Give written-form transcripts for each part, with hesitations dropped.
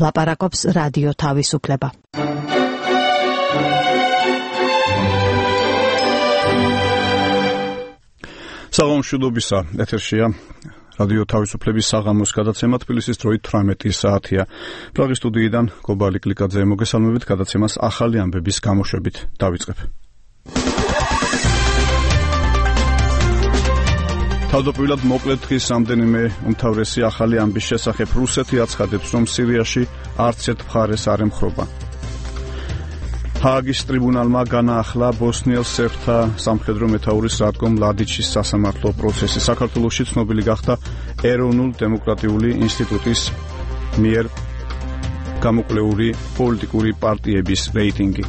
ლაპარაკობს რადიო თავისუფლება. საღამოშუდობისა ეთერშია რადიო თავისუფლების საღამოს გადაცემა თბილისის დროით 18 საათია. პრაღის სტუდიიდან გობალი კლიკაძე მოგესალმებით, გადაცემას ახალი ამბების გამოშვებით დავიწყებ. თავდაპირველად მოკლედ დღის რამდენიმე უმთავრესი ახალი ამბის შესახებ. რუსეთი აცხადებს, რომ სირიაში არც ერთ მხარეს არ ემხრობა. ჰააგის ტრიბუნალმა განაახლა ბოსნიელ სერბთა სამხედრო მეთაურის რატკო მლადიჩის სასამართლო პროცესი. საქართველოში ცნობილი გახდა ეროვნულ-დემოკრატიული ინსტიტუტის მიერ გამოკვლეული პოლიტიკური პარტიების რეიტინგი.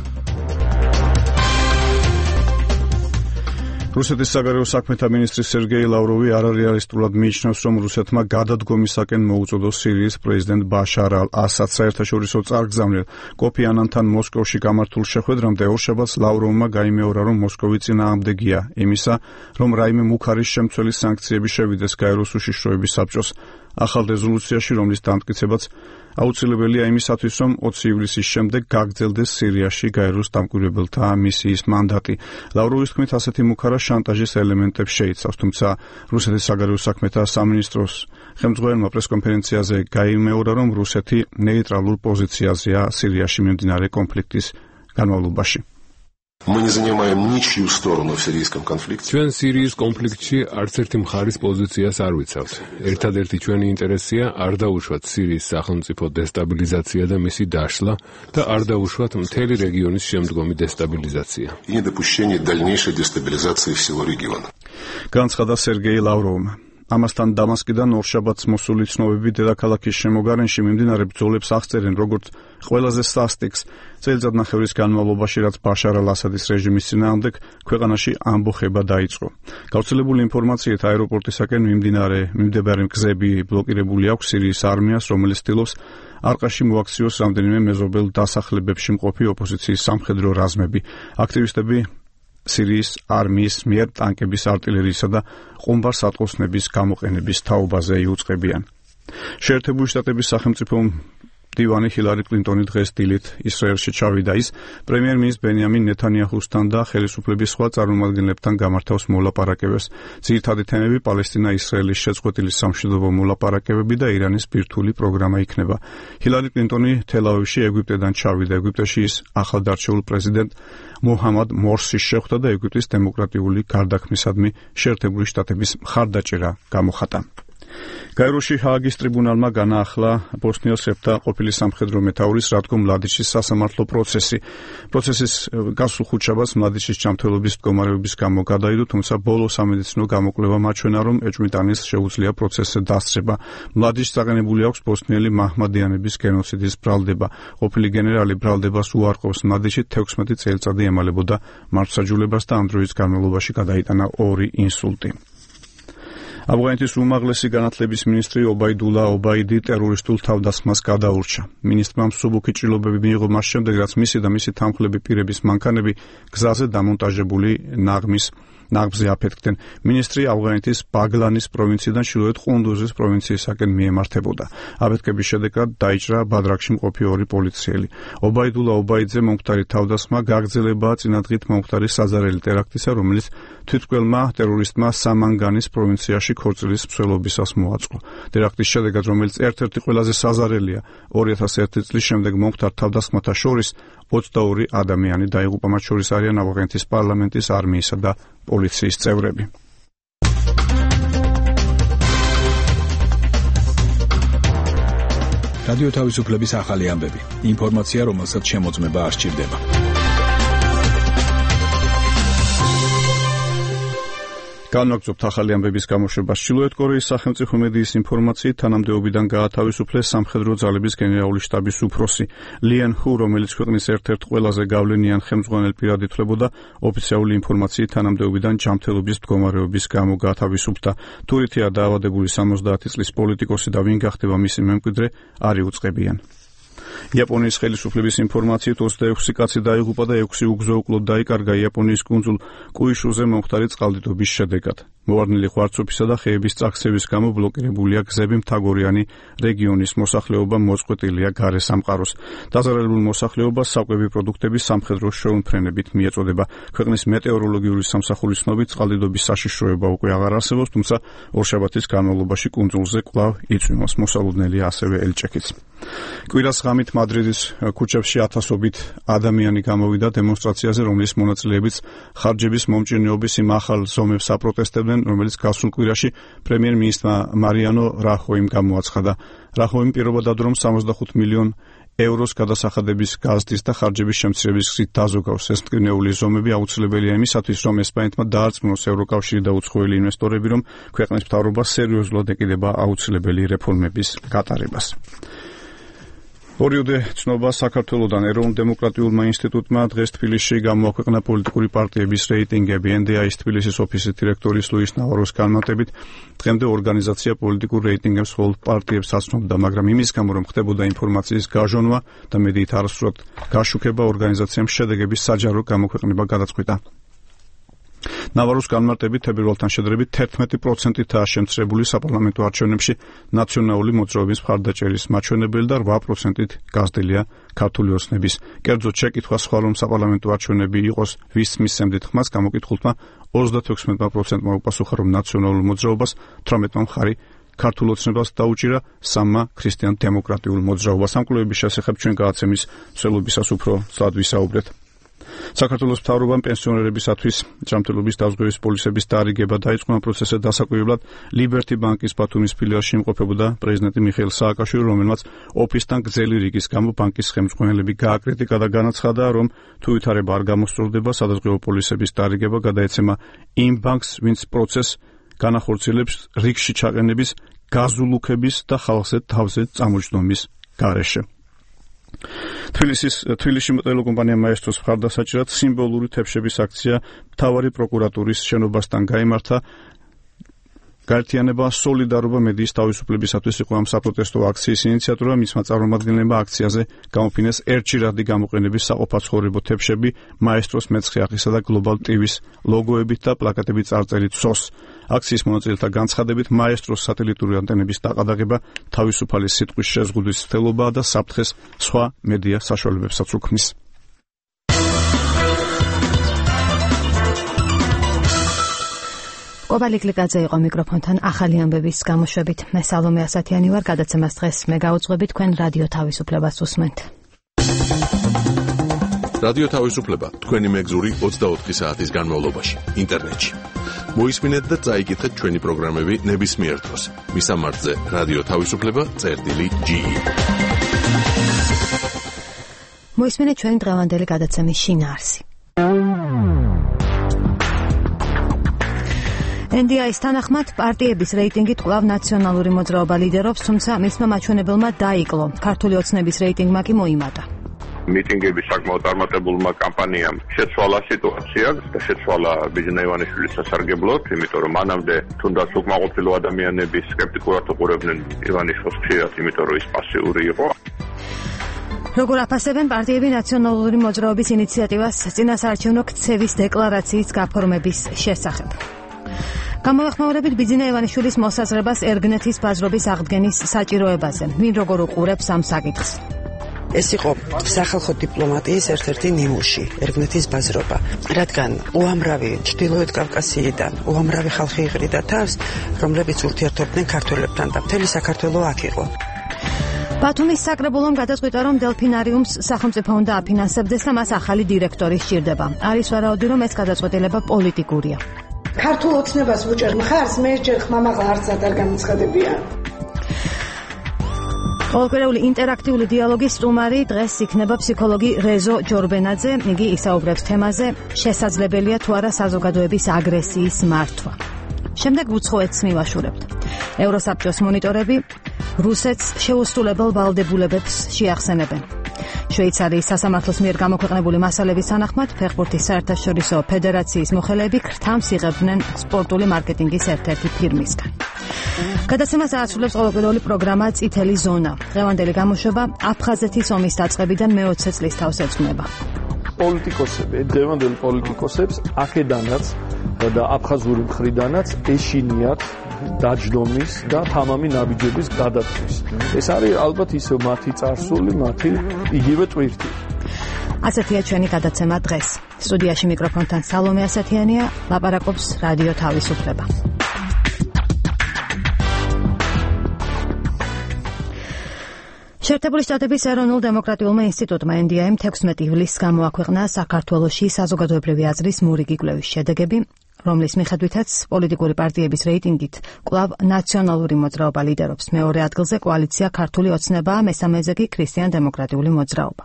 რუსეთის საგარეო საქმეთა მინისტრი სერგეი ლავროვი არარეალისტურად მიიჩნევს, რომ რუსეთმა გადადგომისაკენ მოუწოდოს სირიის პრეზიდენტ ბაშარ ალ-ასადს. საერთაშორისო წარგზავნილ კოფი ანანთან მოსკოვში გამართულ შეხვედრამდე ორშაბათს ლავროვმა გაიმეორა, რომ მოსკოვი წინააღმდეგია იმისა, რომ რაიმე მუქარის შემცველი სანქციები შევიდეს გაეროს უშიშროების საბჭოს ახალ რეზოლუციაში, რომლის დამტკიცებაც აუცილებელია იმისათვის, რომ 20 ივლისის შემდეგ გაგრძელდეს სირიაში გაეროს დამკვირვებელთა მისიის მანდატი. ლავროვის თქმით, ასეთი მუქარა შანტაჟის ელემენტებს შეიცავს, თუმცა რუსეთის საგარეო საქმეთა სამინისტროს ხელმძღვანელმა პრესკონფერენციაზე გაიმეორა, რომ რუსეთი ნეიტრალურ პოზიციაზეა სირიაში მიმდინარე კონფლიქტის განმავლობაში. Мы не занимаем ничью сторону в сирийском конфликте. ჩვენ სირიის კონფლიქტში არც ერთი მხარის პოზიციას არ ვიცავთ. ერთადერთი ჩვენი ინტერესია არ დაუშვათ სირიის სახელმწიფო დესტაბილიზაცია და მისი დაშლა და არ დაუშვათ მთელი რეგიონის შემდგომი დესტაბილიზაცია. И недопущение дальнейшей дестабилизации всего региона. განცხადა სერგეი ლავროვმა. ამასთან დამასკიდან ორშაბათს მოსული ცნობები დედაქალაქის შემოგარენში მიმდინარე ბრძოლებს აღწერენ, როგორც ყველაზე სასტიკს წელიწადნახევრის განმავლობაში, რაც ბაშარ ალ-ასადის რეჟიმის წინააღმდეგ ქვეყანაში ამბოხება დაიწყო. გავრცელებული ინფორმაციით აეროპორტისაკენ მიმდებარე გზები ბლოკირებული აქვს სირიის არმიას, რომელიც ცდილობს არყაში მოაქციოს რამდენიმე მეზობელ დასახლებებში მყოფი ოპოზიციის სამხედრო რაზმები. აქტივისტები სირიის არმიის მიერ ტანკების, არტილერიისა და ყუმბარ-სატყოსნების გამოყენების თაობაზე იუწყებიან. შეერთებული შტატების სახელმწიფო მდივანი ჰილარი კლინტონი დღეს დილით ისრაელში ჩავიდა. ის პრემიერ-მინისტრ ბენიამინ ნეთანიაჰუსთან და ხელისუფლების სხვა წარმომადგენლებთან გამართავს მოლაპარაკებებს. ძირითადი თემები პალესტინა-ისრაელის შეწყვეტილი სამშვიდობო მოლაპარაკებები და ირანის ბირთვული პროგრამა იქნება. ჰილარი კლინტონი თელ-ავივში ეგვიპტედან ჩავიდა. ეგვიპტეში ის ახალდარჩეულ პრეზიდენტ მოჰამად მორსის შეხვდა და ეგვიპტის დემოკრატიული გარდაქმნისადმი შეერთებული შტატების მხარდაჭერა გამოხატა. გაეროში ჰააგის ტრიბუნალმა განაახლა ბოსნიელ სერბთა ყოფილი სამხედრო მეთაურის რატკო მლადიჩის სასამართლო პროცესი. პროცესის გასულ ხუთშაბათს მლადიჩის ჯანმრთელობის მდგომარეობის გამო გადაიდო, თუმცა ბოლო სამედიცინო გამოკვლევა მაჩვენა, რომ ეჭვმიტანის შეუძლია პროცესზე დასწრება. მლადიჩს წაყენებული აქვს ბოსნიელი მაჰმადიანების გენოციდის ბრალდება. ყოფილი გენერალი ბრალდებას უარყოფს. მლადიჩი 16 წელიწადი ემალებოდა მართლმსაჯულებას და ამ დროის განმავლობაში გადაიტანა 2 ინსულტი. ავღანეთის უმაღლესი განათლების მინისტრი ობაიდულა ობაიდი ტერორისტულ თავდასხმას გადაურჩა. მინისტრმა მსუბუქი ჭრილობები მიიღო მას შემდეგ, რაც მისი და მისი თანმხლები პირების მანქანები გზაზე დამონტაჟებული ნაღმზე აფეთქდნენ. მინისტრი ავღანეთის ბაგლანის პროვინციიდან ჩრდილოეთ ყუნდუზის პროვინციისაკენ მიემართებოდა. აფეთქების შედეგად დაიჭრა ბადრაგში მყოფი 2 პოლიციელი. ობაიდულა ობაიძე მომხდარი თავდასხმა გაგრძელებაა წინადღით მომხდარი საზარელი ტერაქტისა, რომელიც თვითმკვლელმა ტერორისტმა სამანგანის პროვინციაში ქორწილის მსვლელობისას მოაწყო. ტერაქტის შედეგად, რომელიც ერთ-ერთი ყველაზე საზარელია 2001 წლის შემდეგ მომხდარ თავდასხმათა შორის, 22 ადამიანი დაიღუპა, მათ შორის არიან ავღანეთის პარლამენტის, არმიისა და პოლიციის წევრები. რადიო თავისუფლების ახალი ამბები. ინფორმაცია, რომელსაც შემოწმება არ სჭირდება. განვაგრძობთ ახალი ამბების გამოშვებას. ჩრდილოეთ კორეის სახელმწიფო მედიის ინფორმაციით, თანამდებობიდან გაათავისუფლეს სამხედრო ძალების გენერალური შტაბის უფროსი ლიან ჰუ, რომელიც ქვეყნის ერთ-ერთ ყველაზე გავლენიან ხელმძღვანელ პირად ითვლებოდა. ოფიციალური ინფორმაციით, თანამდებობიდან ჯანმრთელობის მდგომარეობის გამო გაათავისუფლდა. თურითია დაავადებული 70 წლის პოლიტიკოსი და ვინ გახდება მისი მემკვიდრე არ იუწყებიან. იაპონიის ხელისუფლების ინფორმაციით 26 კაცი დაიღუპა და 6 უგზო-უკლოდ დაიკარგა იაპონიის კუნძულ კუიშუზე მომხდარი წყალდიდობის შედეგად. მოვარდნილი ღვარცოფისა და ხეების წაქცევის გამო ბლოკირებულია გზები, მთაგორიანი რეგიონის მოსახლეობა მოწყვეტილია გარე სამყაროს. დაზარალებულ მოსახლეობას საკვები პროდუქტების სამხედრო შეუმფრენებით მიეწოდება. ქვეყნის მეტეოროლოგიური სამსახურის ცნობით წყალდიდობის საშიშროება უკვე აღარ არსებობს, თუმცა ორშაბათის განმავლობაში კუნძულზე კვლავ იწვიმოს. მოსალოდნელია ასევე ელჭექიც. კვირას ღამით მადრიდის ქუჩებში ათასობით ადამიანი გამოვიდა დემონსტრაციაზე, რომლის მონაწილეებიც ხარჯების მომჭირნეობის იმ ახალ ზომებს აპროტესტებდნენ, რომელიც გასულ კვირაში პრემიერ-მინისტრმა მარიანო რახოიმ გამოაცხადა. რახოიმ პირობად რომ 65 მილიონ ევროს გადასახადების გაზდის და ხარჯების შემცირების გზით დაზოგავს. ეს მტკივნეული ზომები აუცილებელია იმისათვის, რომ ესპანეთმა დაარწმუნოს ევროკავშირი და უცხოელი ინვესტორები, რომ ქვეყნის მთავრობა სერიოზულად ეკიდება აუცილებელი რეფორმების გატარებას. ორიოდე ცნობა საქართველოდან ეროვნულ-დემოკრატიულმა ინსტიტუტმა დღეს თბილისში გამოაქვეყნა პოლიტიკური პარტიების რეიტინგები. NDI-ის თბილისის ოფისის დირექტორის ლუის ნავაროს განმარტებით, დღემდე ორგანიზაცია პოლიტიკურ რეიტინგებს მხოლოდ პარტიებს აცნობდა, მაგრამ იმის გამო, რომ ხდებოდა ინფორმაციის გაჟონვა და მედიით არასრულად გაშუქება, ორგანიზაციამ შედეგების საჯარო გამოქვეყნება გადაწყვიტა. ნავაროს განმარტებით, თებერვალთან შედარებით 11%-აა შემცირებული საპარლამენტო არჩევნებში ნაციონალური მოძრაობის მხარდაჭერის მაჩვენებელი და 8%-ით გაზრდილია ქართული ოცნების. კერძოდ შეკითხვა სხვა რომ საპარლამენტო არჩევნები იყოს ვის მისცემდით ხმას, გამოკითხულთმა 36%-მა უპასუხა, რომ ნაციონალურ მოძრაობას, 18%-მა მხარი ქართულ ოცნებას დაუჭირა, 3%-მა ქრისტიან-დემოკრატიულ მოძრაობას. ამ კვლევების შესახებ ჩვენ გადაცემის მსვლელობისას უფრო ცალად ვისაუბრეთ. საქართველოს მთავრობამ პენსიონერებისათვის ჯანმრთელობის დაზღვევის პოლისების დაარიგება დაიწყო. ამ პროცესზე დასაკვირვებლად ლიბერტი ბანკის ბათუმის ფილიალში იმყოფებოდა პრეზიდენტი მიხეილ სააკაშვილი, რომელმაც ოფისთან გრძელი რიგის გამო ბანკის ხელმძღვანელები გააკრიტიკა და განაცხადა, რომ თუ ვითარება არ გამოსწორდება, სადაზღვევო პოლისების დაარიგება გადაეცემა იმ ბანკს, ვინც პროცესს განახორციელებს რიგში ჩაყენების, გაზულუქების და ხალხზე თავზე წამოჯდომის გარეშე. თბილისში ტელეკომპანია მაესტროს მხარდასაჭერად სიმბოლური თებშების აქცია მთავარი პროკურატურის შენობასთან გაიმართა. გაერთიანება სოლიდარობა მედიის თავისუფლებისათვის იყო ამ საპროტესტო აქციის ინიციატორი. მისმა წარმომადგენლებმა აქციაზე გამოფინეს ერთჯერადი გამოყენების საყოფაცხოვრებო თებშები მაესტროს მეცხე აღისა და გლობალ ტივის ლოგოებით და პლაკატებით წარწერით სოს. აქციის მონაწილეთა განცხადებით, მაესტროს სატელიტური ანტენების დაყადაღება თავისუფალი სიტყვის შეზღუდვის ცდილობაა და საფრთხეს სხვა მედია საშუალებებსაც უქმნის. კობალი კლიკაძე იყო მიკროფონთან ახალი ამბების გამოშვებით. მე სალომე ასათიანი ვარ, გადაცემას დღეს მე გავუძღვები, თქვენ რადიო თავისუფლებას უსმენთ. რადიო თავისუფლება თქვენი მეგზური 24 საათის განმავლობაში ინტერნეტში. მოისმინეთ და წაიკითხეთ ჩვენი პროგრამები ნებისმიერ დროს. მისამართზე რადიო თავისუფლება.ge. მოისმინეთ ჩვენი დღევანდელი გადაცემის შინაარსი. NDI-ის თანახმად პარტიების რეიტინგით კვლავ ნაციონალური მოძრაობა ლიდერობს, თუმცა მისმა მაჩვენებელმა დაიკლო. ქართული ოცნების რეიტინგმა კი მოიმატა. მიტინგების საკმაოდ წარმატებულმა კამპანიამ შეცვალა სიტუაცია და შეცვალა ბიძინა ივანიშვილის სასარგებლოდ, იმიტომ რომ მანამდე თუნდაც უკმაყოფილო ადამიანები სკეპტიკურად უყურებდნენ ივანიშვილს ხშირად, იმიტომ რომ ის პასიური იყო. როგორ აფასებენ პარტიები ნაციონალური მოძრაობის ინიციატივას წინასაარჩევნო ქცევის დეკლარაციის გაფორმების შესახებ? გამოეხმაურებით ბიძინა ივანიშვილის მოსაზრებას ერგნეთის ბაზრობის აღდგენის საჭიროებაზე. ვინ როგორ უყურებს ამ საკითხს? ეს იყო სახალხო დიპლომატიის ერთ-ერთი ნიმუში, ერგნეთის ბაზრობა, რადგან უამრავი ჩრდილოეთ კავკასიიდან, უამრავი ხალხი იყრიდა თავს, რომლებიც ურთიერთობდნენ ქართველებთან და მთელი საქართველო აქ იყო. ბათუმის საკრებულომ გადაწყვიტა, რომ დელფინარიუმს სახელმწიფო უნდა აფინანსებდეს და მას ახალი დირექტორი სჭირდება. არის ვარაუდი, რომ ეს გადაწყვეტილება პოლიტიკურია. ქართულ ოცნებას ვუჭერ მხარს, მე ჯერ ხმამაღლა არცად არ გამოცხადებია. ყოველკვირეული ინტერაქტიული დიალოგის სტუმარი დღეს იქნება ფსიქოლოგი რეზო ჯორბენაძე. იგი ისაუბრებს თემაზე, შესაძლებელია თუ არა საზოგადოების აგრესიის მართვა. შემდეგ უცხოეთს მივაშურებთ. ევროსაბჭოს მონიტორები რუსეთს შეუსრულებელ ვალდებულებებს შეახსენებენ. შვეიცარიის სასამართლოს მიერ გამოქვეყნებული მასალების თანახმად, ფეხბურთის საერთაშორისო ფედერაციის მოხელეები ქრთამს იღებდნენ სპორტული მარკეტინგის ერთ-ერთი ფირმისგან. გადაცემას აასრულებს ყოველკვირეული პროგრამა წითელი ზონა. დღევანდელი გამოშვება აფხაზეთის ომის დაწყებიდან მე-20 წლის თავს ეძღვნება. პოლიტიკოსები, დღევანდელი პოლიტიკოსებს აქედანაც და აფხაზური მხრიდანაც ეშინიათ დაჯდომის და თამამი ნაბიჯების გადადგმის. ეს არის ალბათ ისე მათი წარსული, მათი იგივე ტვირთი. ასეთია ჩვენი გადაცემა დღეს. სტუდიაში მიკროფონთან სალომე ასათიანია, ლაპარაკობს რადიო თავისუფლება. შეერთებული შტატების ეროვნულ დემოკრატიულმა ინსტიტუტმა NDI-მ 16 ივლისს გამოაქვეყნა საქართველოში საზოგადოებრივი აზრის მურიგი კვლევის შედეგები, რომლის მიხედვითაც პოლიტიკური პარტიების რეიტინგით კვლავ ნაციონალური მოძრაობა ლიდერობს. მეორე ადგილზე კოალიცია ქართული ოცნებაა, მესამეზე კი ქრისტიან-დემოკრატიული მოძრაობა.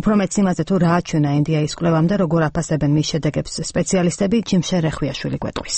უფრო მეც იმაზე თუ რა აჩვენა NDI-ის კვლევამდე, როგორ აფასებენ მის შედეგებს სპეციალისტები, ჯიმშე რეხვიაშვილი გვეტყვის.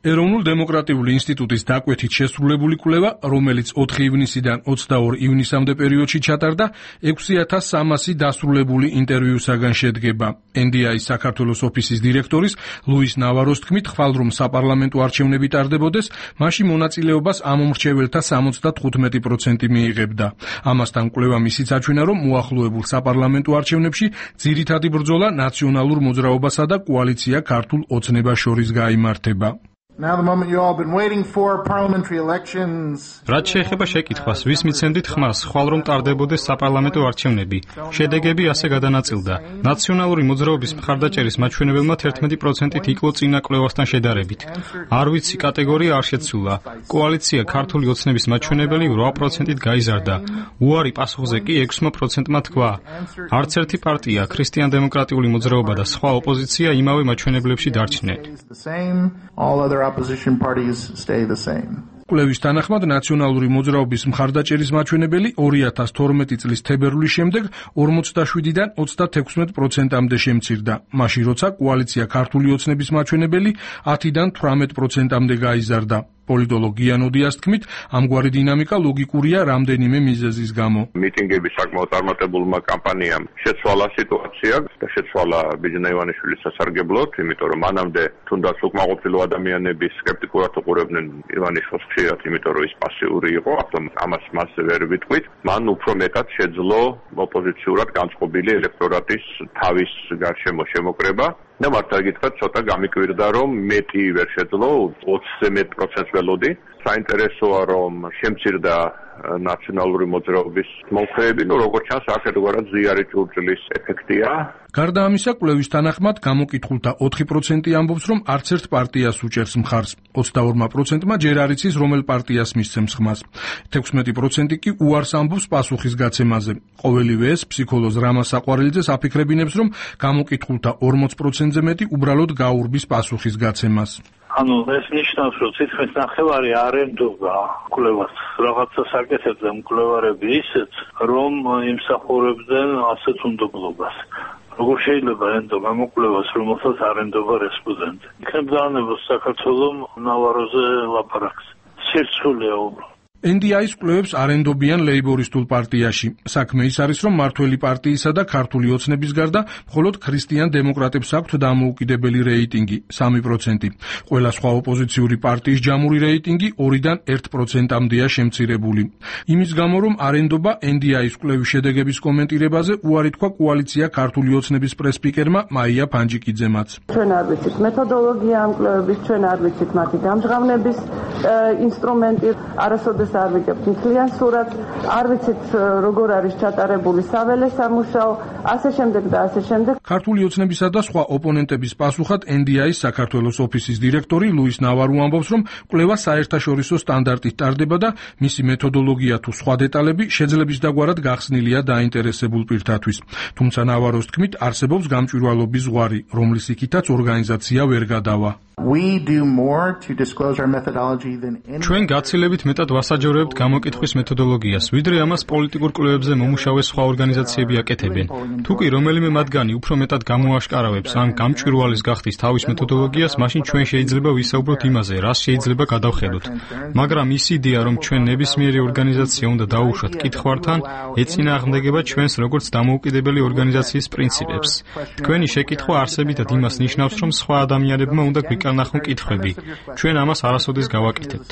ეროვნულ დემოკრატიული ინსტიტუტის დაკვეთით შესრულებული კვლევა, რომელიც 4 ივნისიდან 22 ივნისამდე პერიოდში ჩატარდა, 6300 დასრულებული ინტერვიუსაგან შედგება. NDI-ის საქართველოს ოფისის დირექტორის ლუის ნავაროს თქმით, ხვალ რომ საპარლამენტო არჩევნები ტარდებოდეს, მაშინ მონაწილეობას ამომრჩეველთა 75% მიიღებდა. ამასთან კვლევა ისიც აჩვენა, რომ მოახლოებულ საპარლამენტო არჩევნებში ძირითადი ბრძოლა ნაციონალურ მოძრაობასა და კოალიცია ქართულ ოცნებას შორის გაიმართება. რაც შეეხება შეკითხვას, ვის მიცემდით ხმას, ხვალ რომ ტარდებოდეს საპარლამენტო არჩევნები, შედეგები ასე გადანაწილდა. ნაციონალური მოძრაობის მხარდაჭერის მაჩვენებელმა 11%-ით იკლო წინა კვლევასთან შედარებით. არ ვიცი კატეგორია არ შეცვლა. კოალიცია ქართული ოცნების მაჩვენებელი 8%-ით გაიზარდა. უარი პასუხზე კი 6%-მა თქვა. არც ერთი პარტია, ქრისტიან-დემოკრატიული მოძრაობა და სხვა ოპოზიცია იმავე მაჩვენებლებში დარჩნენ. Opposition parties stay the same. კვლევის თანახმად ნაციონალური მოძრაობის მხარდაჭერის მაჩვენებელი 2012 წლის თებერვლის შემდეგ 47-დან 36%-მდე შემცირდა. მაშინ როცა კოალიცია ქართული ოცნების მაჩვენებელი 10-დან 18%-მდე გაიზარდა. პოლიტოლოგი იანოდიას თქმით, ამგვარი დინამიკა ლოგიკურია რამდენიმე მიზეზის გამო. მიტინგების საკმაოდ წარმატებულმა კამპანიამ შეცვალა სიტუაცია და შეცვალა ბიძინა ივანიშვილის სასარგებლოდ, იმიტომ რომ მანამდე თუნდაც უკმაყოფილო ადამიანები სკეპტიკურად უყურებდნენ ივანიშვილს ხშირად, იმიტომ რომ ის პასიური იყო, ამას მასზე ვერ ვიტყვით. მან უფრო მეტად შეძლო ოპოზიციურად განწყობილი ელექტორატის თავის გარშემო შემოკრება. და მართლა გითხრათ, ცოტა გამიკვირდა, რომ მეტი ვერ შეძლო, 20-ზე მეტ პროცენტს ველოდი. საინტერესოა, რომ შემცირდა ნაციონალური მოძრაობის მომხრეები, როგორც ჩანს, აქ ერთგვარად ზიარი ჭურჭლის ეფექტია. გარდა ამისა, კვლევის თანახმად გამოკითხულთა 4% ამბობს, რომ არც ერთ პარტიას უჭერს მხარს. 22%-მა ჯერ არ იცის, რომელ პარტიას მისცემს ხმას. 16% კი უარს ამბობს პასუხის გაცემაზე. ყოველივე ეს ფსიქოლოგ რამაზ საყვარელიძეს აფიქრებინებს, რომ გამოკითხულთა 40%-ზე მეტი უბრალოდ გაურბის პასუხის გაცემას. ეს ნიშნავს, რომ თითქმის ნახევარი არ ემდობა კვლევას. რაღაცა საკეთებდა მკვლევარები ისეთ, რომ იმსახურებდნენ ასეთ უნდობლობას. როგორ შეიძლება ემდობა გამოკვლევას, რომელსაც არ ემდობა რესპონდენტი. იქნებ დაანებოს საქართველოს ნავაროზე ლაპარაკს. სირცულეა უბრალოდ. NDI-ის კვლევებს არ ენდობიან ლეიბორისტულ პარტიაში. საქმე ის არის, რომ მართველი პარტიისა და ქართული ოცნების გარდა მხოლოდ ქრისტიან-დემოკრატებს აქვთ დამოუკიდებელი რეიტინგი 3%. ყველა სხვა ოპოზიციური პარტიის ჯამური რეიტინგი 2-დან 1%-მდეა შემცირებული. იმის გამო, რომ არ ენდობა NDI-ის კვლევის შედეგების კომენტირებაზე უარი თქვა კოალიცია ქართული ოცნების პრესპიკერმა მაია ფანჯიკიძემაც. ჩვენ არ ვიცით მეთოდოლოგია ამ კვლევების, ჩვენ არ ვიცით მათი გამჟღავნების ინსტრუმენტი, არასოდეს არ ვიგებთ მთლიან სურათს, არ ვიცით როგორ არის ჩატარებული საველე სამუშაო, ასე შემდეგ და ასე შემდეგ. ქართული ოცნებისა და სხვა ოპონენტების პასუხად NDI-ის საქართველოს ოფისის დირექტორი ლუის ნავარო ამბობს, რომ კვლევა საერთაშორისო სტანდარტით ტარდება და მისი მეთოდოლოგია თუ სხვა დეტალები შეძლების დაგვარად გახსნილია დაინტერესებულ პირთათვის. თუმცა ნავაროს თქმით, არსებობს გამჭვირვალობის ზღვარი, რომლის იქითაც ორგანიზაცია ვერ გადავა. ჩვენ გაცილებით მეტად ვასაჯაროებთ გამოკითხვის მეთოდოლოგიას, ვიდრე ამას პოლიტიკურ კვლევებზე მომუშავე სხვა ორგანიზაციები აკეთებენ. თუ კი რომელიმე მათგანი უფრო მეტად გამოაშკარავებს ან გამჭვირვალეს გახდის თავის მეთოდოლოგიას, მაშინ ჩვენ შეიძლება ვისაუბროთ იმაზე, რას შეიძლება გადავხედოთ. მაგრამ ის იდეა, რომ ჩვენ ნებისმიერი ორგანიზაცია უნდა დაუშვათ კითხვართან, ეწინააღმდეგება ჩვენს როგორც დამოუკიდებელი ორგანიზაციის პრინციპებს. თქვენი შეკითხვა არსებითად იმას ნიშნავს, რომ სხვა ადამიანებმა უნდა ნახონ კითხვები. ჩვენ ამას არასოდეს გავაკეთებთ.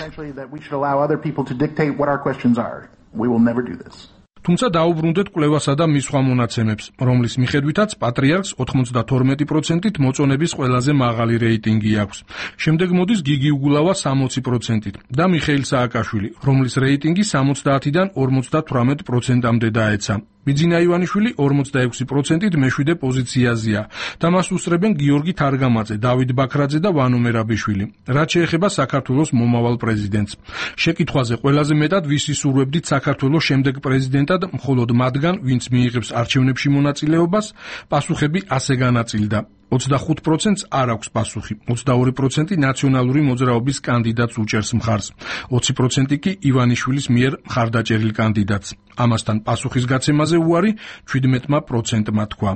თუმცა დაუბრუნდეთ კვლევასა და მის სხვა მონაცემებს, რომლის მიხედვითაც პატრიარქს 92%-ით მოწონების ყველაზე მაღალი რეიტინგი აქვს. შემდეგ მოდის გიგი უგულავა 60%-ით და მიხეილ სააკაშვილი, რომლის რეიტინგი 70-დან 58%-მდე დაეცა. ბიძინა ივანიშვილი 46%-ით მეშვიდე პოზიციაზეა და მას უსწრებენ გიორგი თარგამაძე, დავით ბაქრაძე და ვანო მერაბიშვილი. რაც შეეხება საქართველოს მომავალ პრეზიდენტს. შეკითხვაზე ყველაზე მეტად ვისი სურვებდით საქართველოს შემდეგ პრეზიდენტად, მხოლოდ მათგან, ვინც მიიღებს არჩევნებში მონაწილეობას, პასუხები ასე განაწილდა. 25%-ს არ აქვს პასუხი, 22% ნაციონალური მოძრაობის კანდიდატს უჭერს მხარს, 20% კი ივანიშვილის მიერ მხარდაჭერილ კანდიდატს. ამასთან პასუხის გაცემაზე უარი 17%-მა თქვა.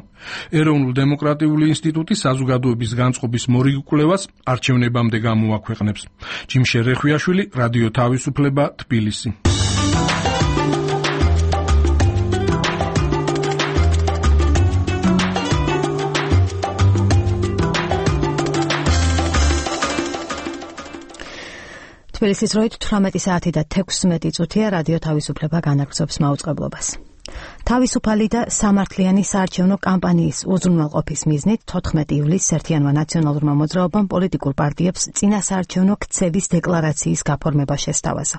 ეროვნულ დემოკრატიული ინსტიტუტი საზოგადოების განწყობის მორიგ კვლევას არჩევნებამდე გამოაქვეყნებს. ჯიმშე რეხვიაშვილი, რადიო თავისუფლება, თბილისი. თბილისის დროით 18 საათი და 16 წუთია რადიო თავისუფლება განაგრძობს მაუწყებლობას. თავისუფალი და სამართლიანი საარჩევნო კამპანიის უზრუნველყოფის მიზნით 14 ივლისს ერთიანმა ნაციონალურმა მოძრაობამ პოლიტიკურ პარტიებს წინასაარჩევნო ქცევის დეკლარაციის გაფორმება შესთავაზა.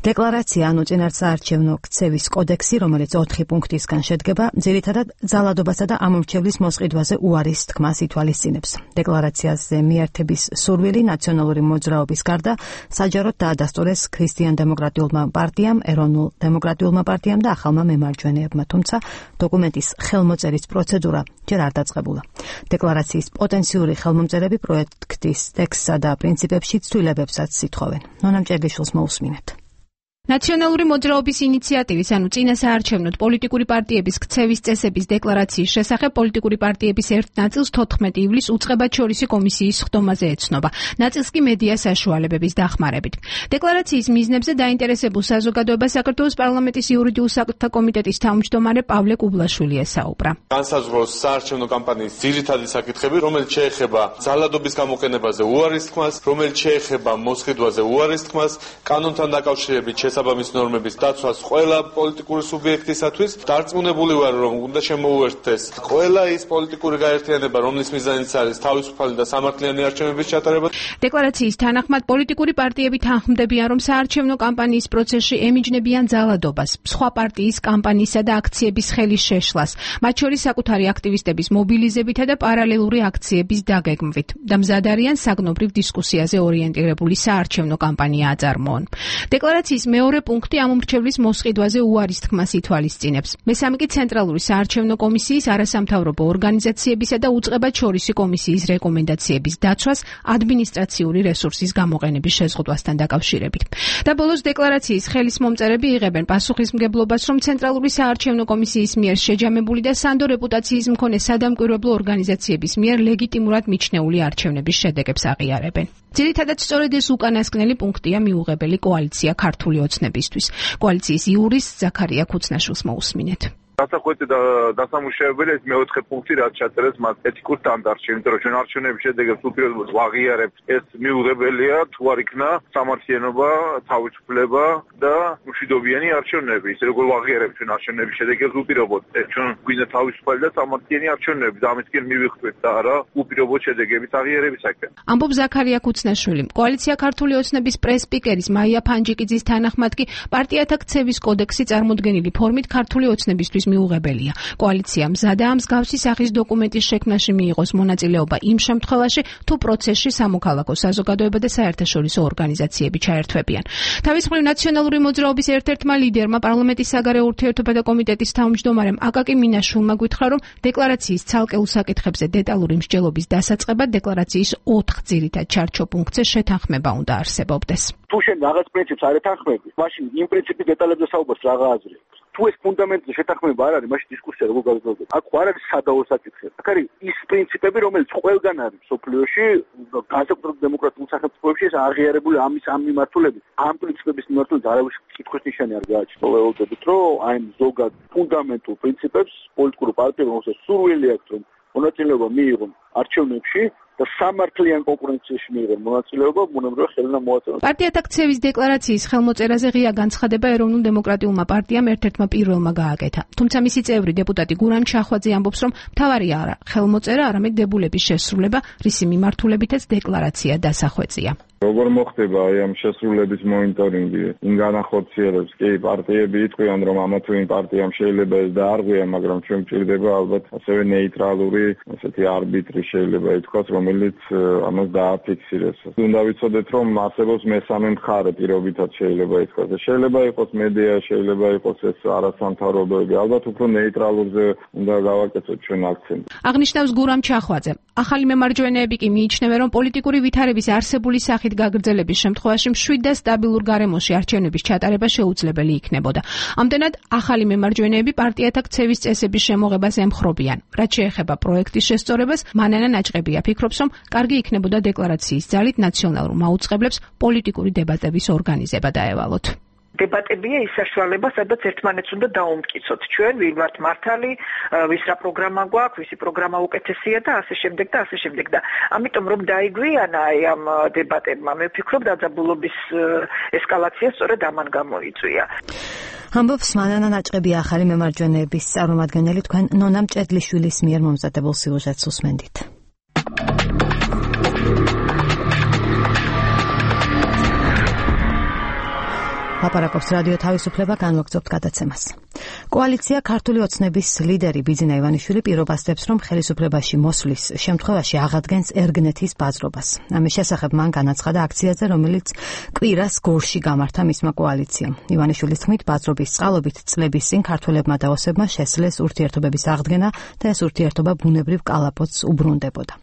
დეკლარაცია ანუ წინასაარჩევნო ქცევის კოდექსი, რომელიც 4 პუნქტისგან შედგება, ძირითადად ძალადობასა და ამორჩევლის მოსყიდვაზე უარის თქმას ითვალისწინებს. დეკლარაციაზე მიერთების სურვილი ნაციონალური მოძრაობის გარდა საჯაროდ დაადასტურეს ქრისტიან-დემოკრატიულმა პარტიამ, ეროვნულ დემოკრატიულმა პარტიამ და ახალმა მემარჯვენეებმა, თუმცა დოკუმენტის ხელმოწერის პროცედურა ჯერ არ დაწყებულა. დეკლარაციის პოტენციური ხელმომწერები პროექტის ტექსტსა და პრინციპებში ცვლილებებსაც ითხოვენ. ნონა მჭერგიშვილს მოусმინეთ. ნაციონალური მოძრაობის ინიციატივის, ანუ წინასაარჩევნოდ პოლიტიკური პარტიების ქცევის წესების დეკლარაციის შესახებ პოლიტიკური პარტიების ერთ ნაწილს 14 ივლისს უწყებათშორისი კომისიის ხდომაზე ეცნობა. ნაწილს კი მედია საშუალებების დახმარებით. დეკლარაციის მიზნებზე დაინტერესებულ საზოგადოებას საქართველოს პარლამენტის იურიდიულ საქმეთა კომიტეტის თავმჯდომარე პავლე კუბლაშვილი ესაუბრა. განსაზღვროს საარჩევნო კამპანიის ძირითადი საკითხები, რომელიც შეეხება ძალადობის გამოყენებაზე უარის თქმას, რომელიც შეეხება მოსყიდვაზე უარის თქმას, კანონთან დაკავშირებით საბამის ნორმების დაცვას ყველა პოლიტიკური სუბიექტისათვის. დარწმუნებული ვარ, რომ უნდა შემოუერთდეს ყველა ის პოლიტიკური გაერთიანება, რომლის მიზანიც არის თავისუფალი და სამართლიანი არჩევნების ჩატარება. დეკლარაციის თანახმად პოლიტიკური პარტიები თანხმდებიან, რომ საარჩევნო კამპანიის პროცესში ემიჯნებიან ძალადობას, სხვა პარტიის კამპანიისა და აქციების ხელის შეშლას, მათ შორის საკუთარი აქტივისტების მობილიზებითა და პარალელური აქციების დაგეგმვით და მზად არიან საგნობრივ დისკუსიაზე ორიენტირებული საარჩევნო კამპანია აწარმოონ. დეკლარაციის მეორე პუნქტი ამომრჩევლის მოსყიდვაზე უარის თქმას ითვალისწინებს. მესამე კი ცენტრალური საარჩევნო კომისიის, არასამთავრობო ორგანიზაციებისა და უწყებათშორისი კომისიის რეკომენდაციების დაცვას ადმინისტრაციული რესურსის გამოყენების შეზღუდვასთან დაკავშირებით. და ბოლოს დეკლარაციის ხელის მომწერები იღებენ პასუხისმგებლობას, რომ ცენტრალური საარჩევნო კომისიის მიერ შეჯამებული და სანდო რეპუტაციის მქონე სადამკვირვებლო ორგანიზაციების მიერ ლეგიტიმურად მიჩნეული არჩევნების შედეგებს აღიარებენ. ძირითადად სწორედ ეს უკანასკნელი პუნქტია მიუღებელი კოალიცია ქართული ოცნებისთვის. კოალიციის იურისტ ზაქარია ქუცნაშვილს მოусმინეთ. დასახვეწი და დასამუშავებელი ეს მეოთხე პუნქტი, რაც ჩაწერეს მათ ეთიკურ სტანდარტში, იმიტომ რომ ჩვენ არჩევნების შედეგებს უპირობოდ ვაღიარებთ. ეს მიუღებელია თუ არ იქნა სამართლიანობა, თავისუფლება და მშვიდობიანი არჩევნები. ისე როგორ ვაღიარებთ ჩვენ არჩევნების შედეგებს უპირობოდ. ჩვენ გვინდა თავისუფალი და სამართლიანი არჩევნები და ამისკენ მივიხტვით და არა უპირობოდ შედეგების აღიარებისაკენ. ამბობს ზაქარია ქუცნაშვილი. კოალიცია ქართული ოცნების პრეს-სპიკერის მაია ფანჯიკიძის თანახმად კი პარტიათა ქცევის კოდექსი წარმოდგენილი ფორმით ქართული ოცნებისთვის მიუღებელია. კოალიცია მზადაა მსგავსი სახის დოკუმენტის შექმნაში მიიღოს მონაწილეობა იმ შემთხვევაში, თუ პროცესში სამოქალაქო საზოგადოება და საერთაშორისო ორგანიზაციები ჩაერთვებიან. თავისუფალი ნაციონალური მოძრაობის ერთ-ერთმა ლიდერმა პარლამენტის საგარეო ურთიერთობათა კომიტეტის თავმჯდომარემ აკაკი მინაშვილმა გითხრა, რომ დეკლარაციის ცალკეულ საკითხებზე დეტალური მსჯელობის დასაწყებად დეკლარაციის 4 ძირითად ჩარჩო პუნქტზე შეთანხმება უნდა არსებობდეს. თუ შენ რაღაც პრინციპს არ ეთანხმები, მაშინ იმ პრინციპის დეტალებზე საუბარს რა აზრი აქვს? თუ ეს ფუნდამენტზე შეთანხმება არ არის, მაშინ დისკუსია როგორ გაგრძელდება? აქ არ არის სადავო საკითხი. აქ არის ის პრინციპები, რომელიც ყველგან არის მსოფლიოში, განსაკუთრებით დემოკრატიულ სახელმწიფოებში ეს აღიარებული ამის ამ მიმართულებით. ამ პრინციპების მიმართულებით არავის კითხვის ნიშანი არ გააჩნია. ვეუბნებით, რომ აი ზოგად ფუნდამენტურ პრინციპებს პოლიტიკურ პარტიებმა სურვილი აქვს, რომ მონაწილეობა მიიღონ არჩევნებში, და სამართლიან კონკურენციაში მიიღო მონაწილეობა ბუნებრივი ხელნა მოაწოდოს. პარტიათა ქცევის დეკლარაციის ხელმოწერაზე ღია განცხადება ეროვნულ დემოკრატიულმა პარტიამ ერთ-ერთმა პირველმა გააკეთა. თუმცა მისი წევრი დეპუტატი გურამ ჩახვაძე ამბობს, რომ მთავარია არა ხელმოწერა, არამედ დებულების შესრულება, რისი მიმართულებითაც დეკლარაცია დასახვეწია. როგორ მოხდება აი ამ შესრულების მონიტორინგი? იმ განახორციელებს კი პარტიები იტყვიან, რომ ამა თუ იმ პარტიამ შეიძლება ეს დაარღვია, მაგრამ ჩვენ გვჭირდება ალბათ ასევე ნეიტრალური, ესეთი არბიტრი შეიძლება ითქვას, რომელიც ამას დააფიქსირებს. უნდა ვიცოდეთ, რომ არსებობს მესამე მხარე პირობითაც შეიძლება ითქვას. შეიძლება იყოს მედია, შეიძლება იყოს ეს არასამთავრობოები, ალბათ უფრო ნეიტრალურზე უნდა გავაკეთოთ ჩვენ აქცენტი. აღნიშნავს გურამ ჩახვაძე. ახალი მემარჯვენეები კი მიიჩნევენ, რომ პოლიტიკური ვითარების არსებული სახით გაგრძელების შემთხვევაში მშვიდ და სტაბილურ გარემოში არჩევნების ჩატარება შეუძლებელი იქნებოდა. ამდენად ახალი მემარჯვენეები პარტიათა ქცევის წესების შემოღებას ემხრობიან. რაც შეეხება პროექტის შესწორებას, მანანა ნაჭყებია ფიქრობს, რომ კარგი იქნებოდა დეკლარაციის ძალით ნაციონალურ მაუწყებლებს პოლიტიკური დებატების ორგანიზება დაევალოთ. დებატებია ის საშუალება, სადაც ერთმანეთს უნდა დაუმტკიცოთ. ჩვენ ვინ ვართ მართალი, ვის რა პროგრამა გვაქვს, ვისი პროგრამა უკეთესია და ასე შემდეგ და ასე შემდეგ. და ამიტომ რომ დაიგვიანა ამ დებატებმა, მე ვფიქრობ დაძაბულობის ესკალაცია სწორედ ამან გამოიწვია. ამბობს მანანა ნაჭყებია ახალი მემარჯვენეების წარმომადგენელი, თქვენ ნონა მჭედლიშვილის მიერ მომზადებულ სიუჟეტს უსმენდით. აპარაკობს რადიო თავისუფლება, განვაგრძობთ გადაცემას. კოალიცია ქართული ოცნების ლიდერი ბიძინა ივანიშვილი პირობასდებს, რომ ხელისუფლებაში მოსვლის შემთხვევაში აღადგენს ერგნეთის ბაზრობას. ამის შესახებ მან განაცხადა აქციაზე, რომელიც კვირას გორში გამართა მისმა კოალიციამ. ივანიშვილის თქმით, ბაზრობის წყალობით წლების წინ ქართველებმა და ოსებმა შესძლეს ურთიერთობების აღდგენა და ეს ურთიერთობა ბუნებრივ კალაპოტს უბრუნდებოდა.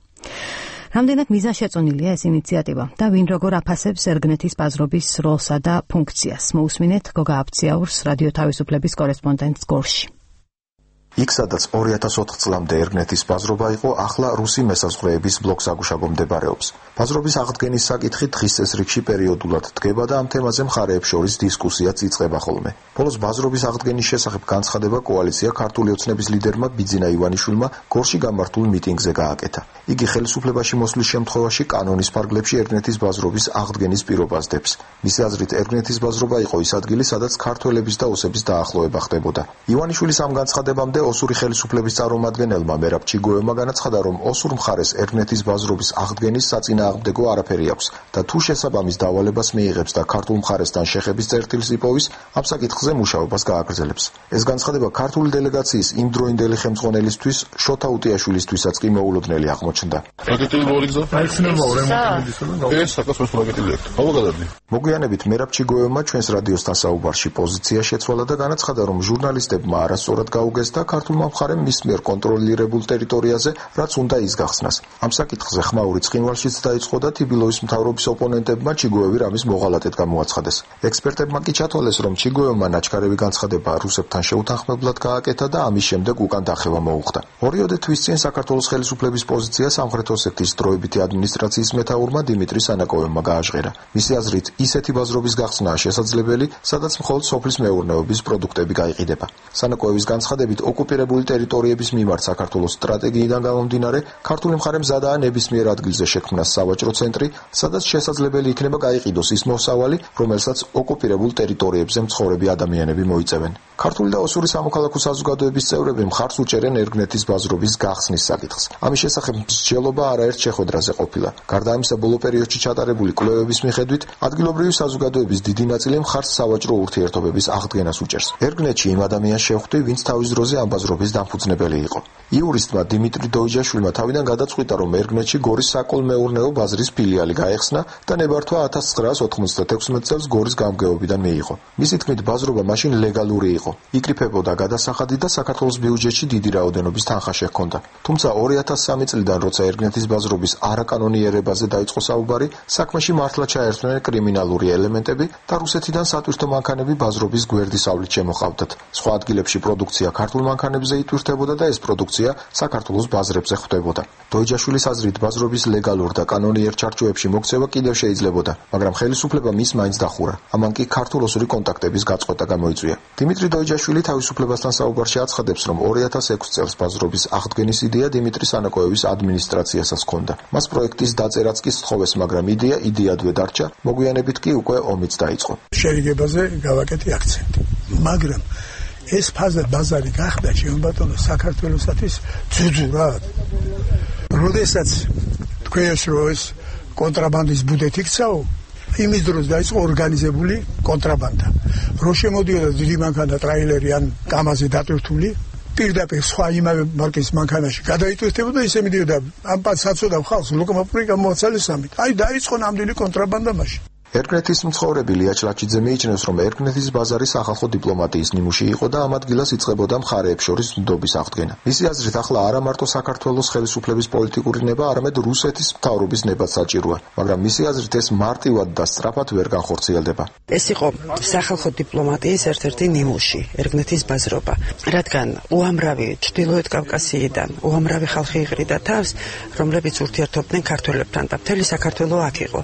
რამდენად მიზანშეწონილია ეს ინიციატივა და ვინ როგორ აფასებს ერგნეთის ბაზრობის როლსა და ფუნქციას? მოусმინეთ გოგა აფციაურს, რადიო თავისუფლების კორესპონდენტს გორში. იქ სადაც 2004 წლამდე ერგნეთის ბაზრობა იყო, ახლა რუსი მესაზღვრეების ბლოკ-საგუშაგო მდებარეობს. ბაზრობის აღდგენის საკითხი დღის წესრიგში პერიოდულად დგება და ამ თემაზე მხარეებს შორის დისკუსიაც იწყება ხოლმე. ბოლოს ბაზრობის აღდგენის შესახებ განცხადება კოალიცია ქართული ოცნების ლიდერმა ბიძინა ივანიშვილმა გორში გამართულ მიტინგზე გააკეთა. იგი ხელისუფლებაში მოსვლის შემთხვევაში კანონის ფარგლებში ერგნეთის ბაზრობის აღდგენის პირობას დებს. მისი აზრით, ერგნეთის ბაზრობა იყო ის ადგილი, სადაც ქართველების და ოსების დაახლოება ხდებოდა. ივანიშვილის ამ განცხადებამდე ოსური ხელისუფლების წარმომადგენელმა მერაბ ჩიგოევმა განაცხადა, რომ ოსურ მხარეს ერგნეთის ბაზრობის აღდგენის საწინააღმდეგო არაფერი აქვს და თუ შესაბამის დავალებას მიიღებს და ქართულ მხარესთან შეხების წერტილს იპოვის, ამ საკითხზე მუშაობას გააგრძელებს. ეს განცხადება ქართული დელეგაციის იმდროინდელი ხელმძღვანელისთვის შოთა უტიაშვილისთვისაც კი მოულოდნელი აღმოჩნდა. მოგვიანებით მერაბ ჩიგოევმა ჩვენს რადიოსთან საუბარში პოზიცია შეცვალა და განაცხადა, რომ ჟურნალისტებმა არასწორად გაუგეს და ქართულმა მხარემ მის მიერ კონტროლირებულ ტერიტორიაზე რაც უნდა ის გახსნას. ამ საკითხზე ხმაური ცხინვალშიც დაიწყო და თბილისის მთავრობის ოპონენტებმა ჩიგოევი რამის მოღალატედ გამოაცხადეს. ექსპერტებმა კი ჩათვალეს, რომ ჩიგოევმა ნაჩქარევი განცხადება რუსებთან შეუთანხმებლად გააკეთა და ამის შემდეგ უკან დახევა მოუხდა. 2 თვის წინ საქართველოს ხელისუფლების პოზიცია სამხრეთ ოსეთის დროებითი ადმინისტრაციის მეთაურმა დიმიტრი სანაკოევმა გააჟღერა. მისი აზრით, ისეთი ბაზრობის გახსნაა შესაძლებელი, სადაც მხოლოდ სოფლის მეურნეობის პროდუქტები გაიყიდება. სანაკოევის განცხადებით, ოკუპირებული ტერიტორიების მიმართ საქართველოს სტრატეგიიდან გამომდინარე, ქართული მხარე მზადაა ნებისმიერ ადგილზე შექმნას სავაჭრო ცენტრი, სადაც შესაძლებელი იქნება გაიყიდოს ის მოსავალი, რომელსაც ოკუპირებულ ტერიტორიებზე მცხოვრები ადამიანები მოიწევენ. ქართული და ოსური სამოქალაქო საზოგადოების წევრები მხარს უჭერენ ერგნეთის ბაზრობის გახსნის საკითხს. ამის შესახებ მსჯელობა არაერთ შეხვედრაზე ყოფილა. გარდა ამისა, ბოლო პერიოდში ჩატარებული კვლევების მიხედვით, ადგილობრივი საზოგადოების დიდი ნაწილი მხარს სავაჭრო ურთიერთობების აღდგენას უჭერს. ერგნეთში იმ ადამიანს შევხვდი, ვინც თავის დროზე ამ ბაზრობის დამფუძნებელი იყო. იურისტმა დიმიტრი დოიჯაშვილმა თავიდან გადაწყვიტა, რომ ერგნეთში გორის საკოლმეურნეო ბაზრის ფილიალი გაეხსნა და ნებართვა 1996 წელს გორის გამგეობიდან მიიღო. მისი თქმით, ბაზრობა მაშინ ლეგალური იყო. იკრიფებოდა გადასახადი და საქართველოს ბიუჯეტში დიდი რაოდენობის თანხა შეჰქონდა. თუმცა 2003 წლიდან, როცა ერგნეთის ბაზრობის არაკანონიერებაზე დაიწყო საუბარი, საქმეში მართლა ჩაერთვნენ კრიმინალური ელემენტები და რუსეთიდან სატვირთო მანქანები ბაზრობის გვერდის ავლით შემოყავდათ. სხვა ადგილებში პროდუქცია ქართულ მანქანებზე იტვირთებოდა და ეს პროდუქცია საქართველოს ბაზრებზე ხვდებოდა. დოიჯაშვილის აზრით, ბაზრობის ლეგალურ და კანონიერ ჩარჩოებში მოქცევა კიდევ შეიძლებოდა, მაგრამ ხელისუფლება მის მაინც დახურა. ამან კი ქართულ-ოსური კონტაქტების გაწყვეტა გამოიწვია. დიმიტრი დოიჯაშვილი თავისუფლებასთან საუბარში აცხადებს, რომ 2006 წელს ბაზრობის აღდგენის იდეა დიმიტრი სანაკოევის ადმინისტრაციასაც ჰქონდა. მას პროექტის დაწერაც კი სთხოვეს, მაგრამ იდეადვე დარჩა, მოგვიანებით კი უკვე ომიც დაიწყო. შერიგებაზე გავაკეთე აქცენტი, მაგრამ ეს ფაზა ბაზარი გახდა ჩემბატონო საქართველოსათვის ძუძურად. როდესაც თქვენს როეს კონტრაბანდის ბუდეთ იქცაო, იმის დროს დაიწყო ორგანიზებული კონტრაბანდა. რო შემოდიოდა დიდი მანქანა ტრაილერი ან კამაზი დატვირთული, პირდაპირ სხვა იმავე მარკის მანქანაში გადაიტვირთებოდა, ისე მიდიოდა ამ საწოდა ხალხს ლოკომობილი გამოაცალისამით. აი დაიწყო ნამდვილი კონტრაბანდა მაშინ. ერგნეთის მცხოვრები ლია ჩლაჩიძე მიიჩნევს, რომ ერგნეთის ბაზარი სახალხო დიპლომატიის ნიმუში იყო და ამ ადგილას იწყებოდა მხარეებს შორის ნდობის აღდგენა. მისი აზრით, ახლა არა მარტო საქართველოს ხელისუფლების პოლიტიკური ნება, არამედ რუსეთის მთავრობის ნება საჭიროა, მაგრამ მისი აზრით ეს მარტივად და სწრაფად ვერ განხორციელდება. ეს იყო სახალხო დიპლომატიის ერთ-ერთი ნიმუში, ერგნეთის ბაზრობა, რადგან უამრავი ჩრდილოეთ კავკასიიდან უამრავი ხალხი იყრიდა თავს, რომლებიც ურთიერთობდნენ ქართველებთან და მთელი საქართველო აქ იყო.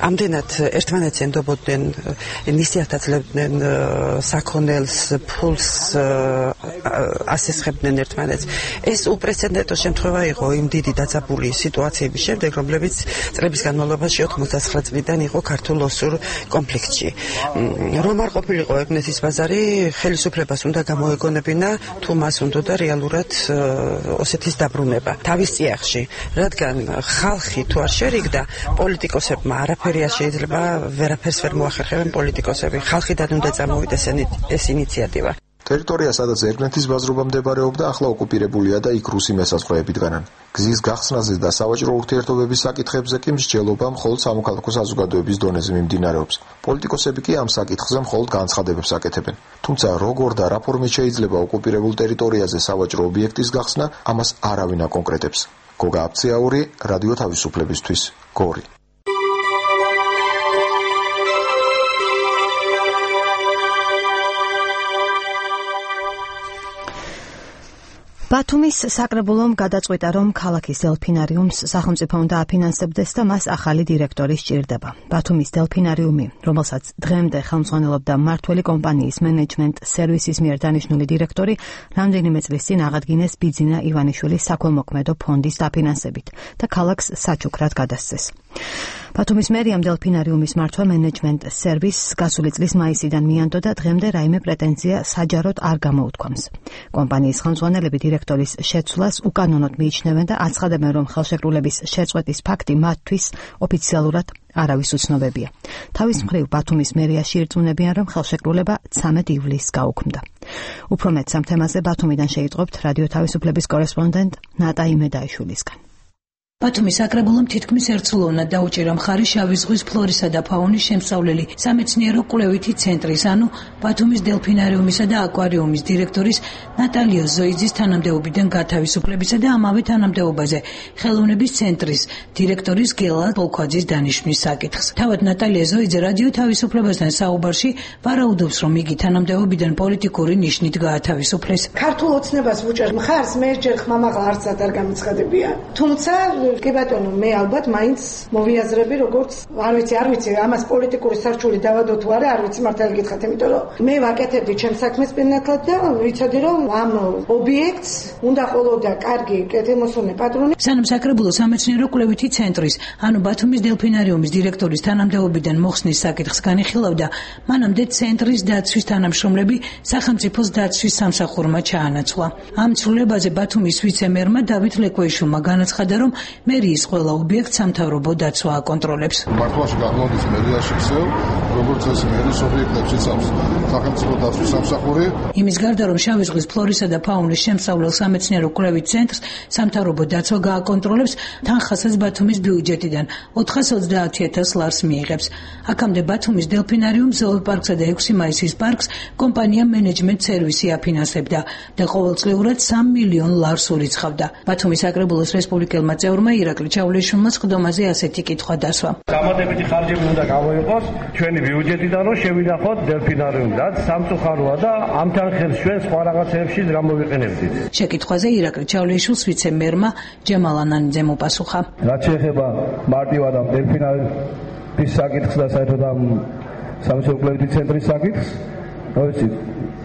ამდენად ერთმანეთს ენდობოდნენ, ნისიათ აძლევდნენ საქონელს, ფულს ასესხებდნენ ერთმანეთს. ეს უპრეცედენტო შემთხვევა იყო იმ დიდი დაძაბული სიტუაციების შემდეგ, რომლებიც წლების განმავლობაში 99 წლიდან იყო ქართულ-ოსურ კონფლიქტში. რომ არ ყოფილიყო ერგნეთის ბაზარი, ხელისუფლებას უნდა გამოეგონებინა, თუ მას უნდა რეალურად ოსეთის დაბრუნება თავის წიაღში, რადგან ხალხი თუ არ შერიგდა, პოლიტიკოსებმა არაფერი არ შეიძლება ვერაფერს ვერ მოახერხებენ პოლიტიკოსები. ხალხიდან უნდა წამოვიდეს ეს ინიციატივა. ტერიტორია, სადაც ერგნეთის ბაზრობა მდებარეობდა, ახლა ოკუპირებულია და იქ რუსი მესაზღვრეები დგანან. გზის გახსნაზე და სავაჭრო ურთიერთობების საკითხებზე კი მსჯელობა მხოლოდ სამოქალაქო საზოგადოების დონეზე მიმდინარეობს. პოლიტიკოსები კი ამ საკითხზე მხოლოდ განცხადებებს აკეთებენ. თუმცა როგორ და რა ფორმით შეიძლება ოკუპირებულ ტერიტორიაზე სავაჭრო ობიექტის გახსნა, ამას არავინ აკონკრეტებს. გოგა აფციაური, რადიო თავისუფლებისთვის, გორი. ბათუმის საკრებულომ გადაწყვიტა, რომ ქალაქის დელფინარიუმს სახელმწიფო უნდა აფინანსებდეს და მას ახალი დირექტორი სჭირდება. ბათუმის დელფინარიუმი, რომელსაც დღემდე ხელმძღვანელობდა მმართველი კომპანიის მენეჯმენტ სერვისის მიერ დანიშნული დირექტორი, რამდენიმე წლის წინ აღადგინეს ბიძინა ივანიშვილის საქველმოქმედო ფონდის დაფინანსებით და ქალაქს საჩუქრად გადასცეს. ბათუმის მერიამ დელფინარიუმის მართვა მენეჯმენტ სერვისს გასული წლის მაისიდან მიანდო და დღემდე რაიმე პრეტენზია საჯაროდ არ გამოუთქვამს. კომპანიის ხელმძღვანელები დირექტორის შეცვლას უკანონოდ მიიჩნევენ და აცხადებენ, რომ ხელშეკრულების შეწყვეტის ფაქტი მათთვის ოფიციალურად არავის უცნობებია. თავის მხრივ ბათუმის მერიაში ირწმუნებიან, რომ ხელშეკრულება 13 ივლისს გაუქმდა. უფრო მეტ ამ თემაზე ბათუმიდან შეიტყობთ რადიო თავისუფლების კორესპონდენტ ნატა იმედაიშვილისგან. ბათუმის საკრებულომ თითქმის ერთსულოვნად დაუჭირა მხარი შავი ზღვის ფლორისა და ფაუნის შემსწავლელი სამეცნიერო კვლევითი ცენტრის, ანუ ბათუმის დელფინარიუმისა და აკვარიუმის დირექტორის ნატალია ზოიძის თანამდებობიდან გათავისუფლებისა და ამავე თანამდებობაზე ხელოვნების ცენტრის დირექტორის გელა ბოლქვაძის დანიშვნის საკითხს. თავად ნატალია ზოიძე რადიო თავისუფლებასთან საუბარში ვარაუდობს, რომ იგი თანამდებობიდან პოლიტიკური ნიშნით გაათავისუფლეს. ქართულ ოცნებას ვუჭერ მხარს, მე ჯერ ხმამაღლა არცად არ გამიცხადებია. თუმცა კი ბატონო, მე ალბათ მაინც მოვიაზრები, როგორც არ ვიცი, ამას პოლიტიკური სარჩული დავადო თუ არა, არ ვიცი მართალი გითხრათ, იმიტომ რომ მე ვაკეთებდი ჩემს საქმეს პირნათლად და ვიცოდი, რომ ამ ობიექტს უნდა ყოლოდა კარგი კეთილმოსურნე პატრონი. სანამ საკრებულო სამეცნიერო კვლევითი ცენტრის, ანუ ბათუმის დელფინარიუმის დირექტორის თანამდებობიდან მოხსნის საკითხს განიხილავდა, მანამდე ცენტრის დაცვის თანამშრომლები სახელმწიფოს დაცვის სამსახურმა ჩაანაცვლა. ამ ცვლილებაზე ბათუმის ვიცე-მერმა დავით ლეკვეიშვილმა განაცხადა, რომ მერიის ყველა ობიექტს სამთავრობო დაცვა აკონტროლებს. მართლაში გახმოვდის მერიაში ხსევ, როგორც ეს მერის ობიექტებს იცავს სახელმწიფო დაცვის სამსახური. იმის გარდა, რომ შავი ზღვის ფლორისა და ფაუნის შემსწავლელ სამეცნიერო კვლევით ცენტრს სამთავრობო დაცვა გააკონტროლებს, თანხასაც ბათუმის ბიუჯეტიდან 430,000 ლარს მიიღებს. აქამდე ბათუმის დელფინარიუმს, ზოოპარკსა და 6 მაისის პარკს კომპანია მენეჯმენტ სერვისი აფინანსებდა და ყოველწლიურად 3 მილიონ ლარს ურიცხავდა. ბათუმის საკრებულოს რესპუბლიკელმა წევრმა პროკურორმა ირაკლი ჩავლეიშვილმა სხდომაზე ასეთი კითხვა დასვა. დამატებითი ხარჯები უნდა გამოიყოს ჩვენი ბიუჯეტიდან, რომ შევინახოთ დელფინარიუმი, რაც სამწუხაროა და ამთან ხელს ჩვენ სხვა რაღაცეებში გამოვიყენებდით. შეკითხვაზე ირაკლი ჩავლეიშვილს ვიცე-მერმა ჯემალ ანანიძემ უპასუხა. რაც შეეხება მარტივად ამ დელფინარიუმის საკითხს და საერთოდ ამ სამშობლოებითი ცენტრის საკითხს, რა ვიცი,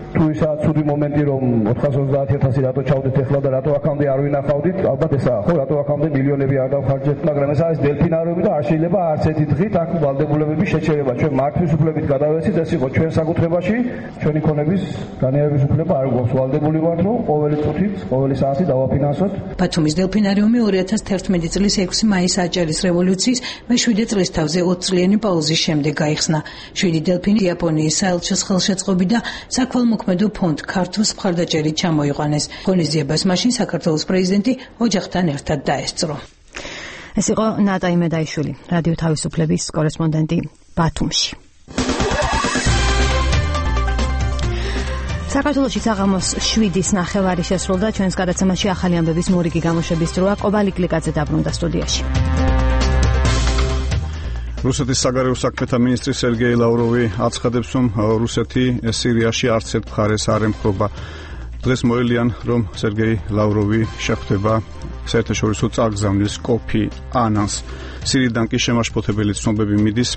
თუ ისა ცუდი მომენტი რომ 430.000 რატო ჩავდეთ ახლა და რატო აქამდე არ ვინახავდით, ალბათ ესაა ხო, რატო აქამდე მილიონები არ დავხარჯეთ, მაგრამ ეს არის დელფინარიუმი და არ შეიძლება არც ერთი დღით აქ ვალდებულებების შეჩერება. ჩვენ მართვის უფლებით გადავეცით, ეს იყო ჩვენ საკუთრებაში, ჩვენი ქონების განიარების უფლება არ გვაქვს, ვალდებული ვართ, რომ ყოველი წუთით, ყოველი საათი დავაფინანსოთ. ბათუმის დელფინარიუმი 2011 წლის 6 მაისს აჭარის რევოლუციის მე-7 წლისთავზე 20 წლიანი პაუზის შემდეგ გაიხსნა. 7 დელფინი იაპონიის საელჩოს ხელშეწყობით და საქველმოქმედო ფონდ ქართულს მხარდაჭერით ჩამოიყვანეს. ღონისძიებას მაშინ საქართველოს პრეზიდენტი ოჯახთან ერთად დაესწრო. ეს იყო ნატა იმედაიშვილი, რადიო თავისუფლების კორესპონდენტი ბათუმში. საქართველოში საღამოს 7-ის ნახევარი შესრულდა. ჩვენს გადაცემაში ახალი ამბების მორიგი გამოშვების დროა. კობალი კლიკაძე დაბრუნდა სტუდიაში. რუსეთის საგარეო საქმეთა მინისტრი სერგეი ლავროვი აცხადებს, რომ რუსეთი სირიაში არც ერთ მხარეს არ ემხრობა. დღეს მოელიან, რომ სერგეი ლავროვი შეხვდება საერთაშორისო წარგზავნის კოფი ანანს. სირიიდან კი შემაშფოთებელი ცნობები მიდის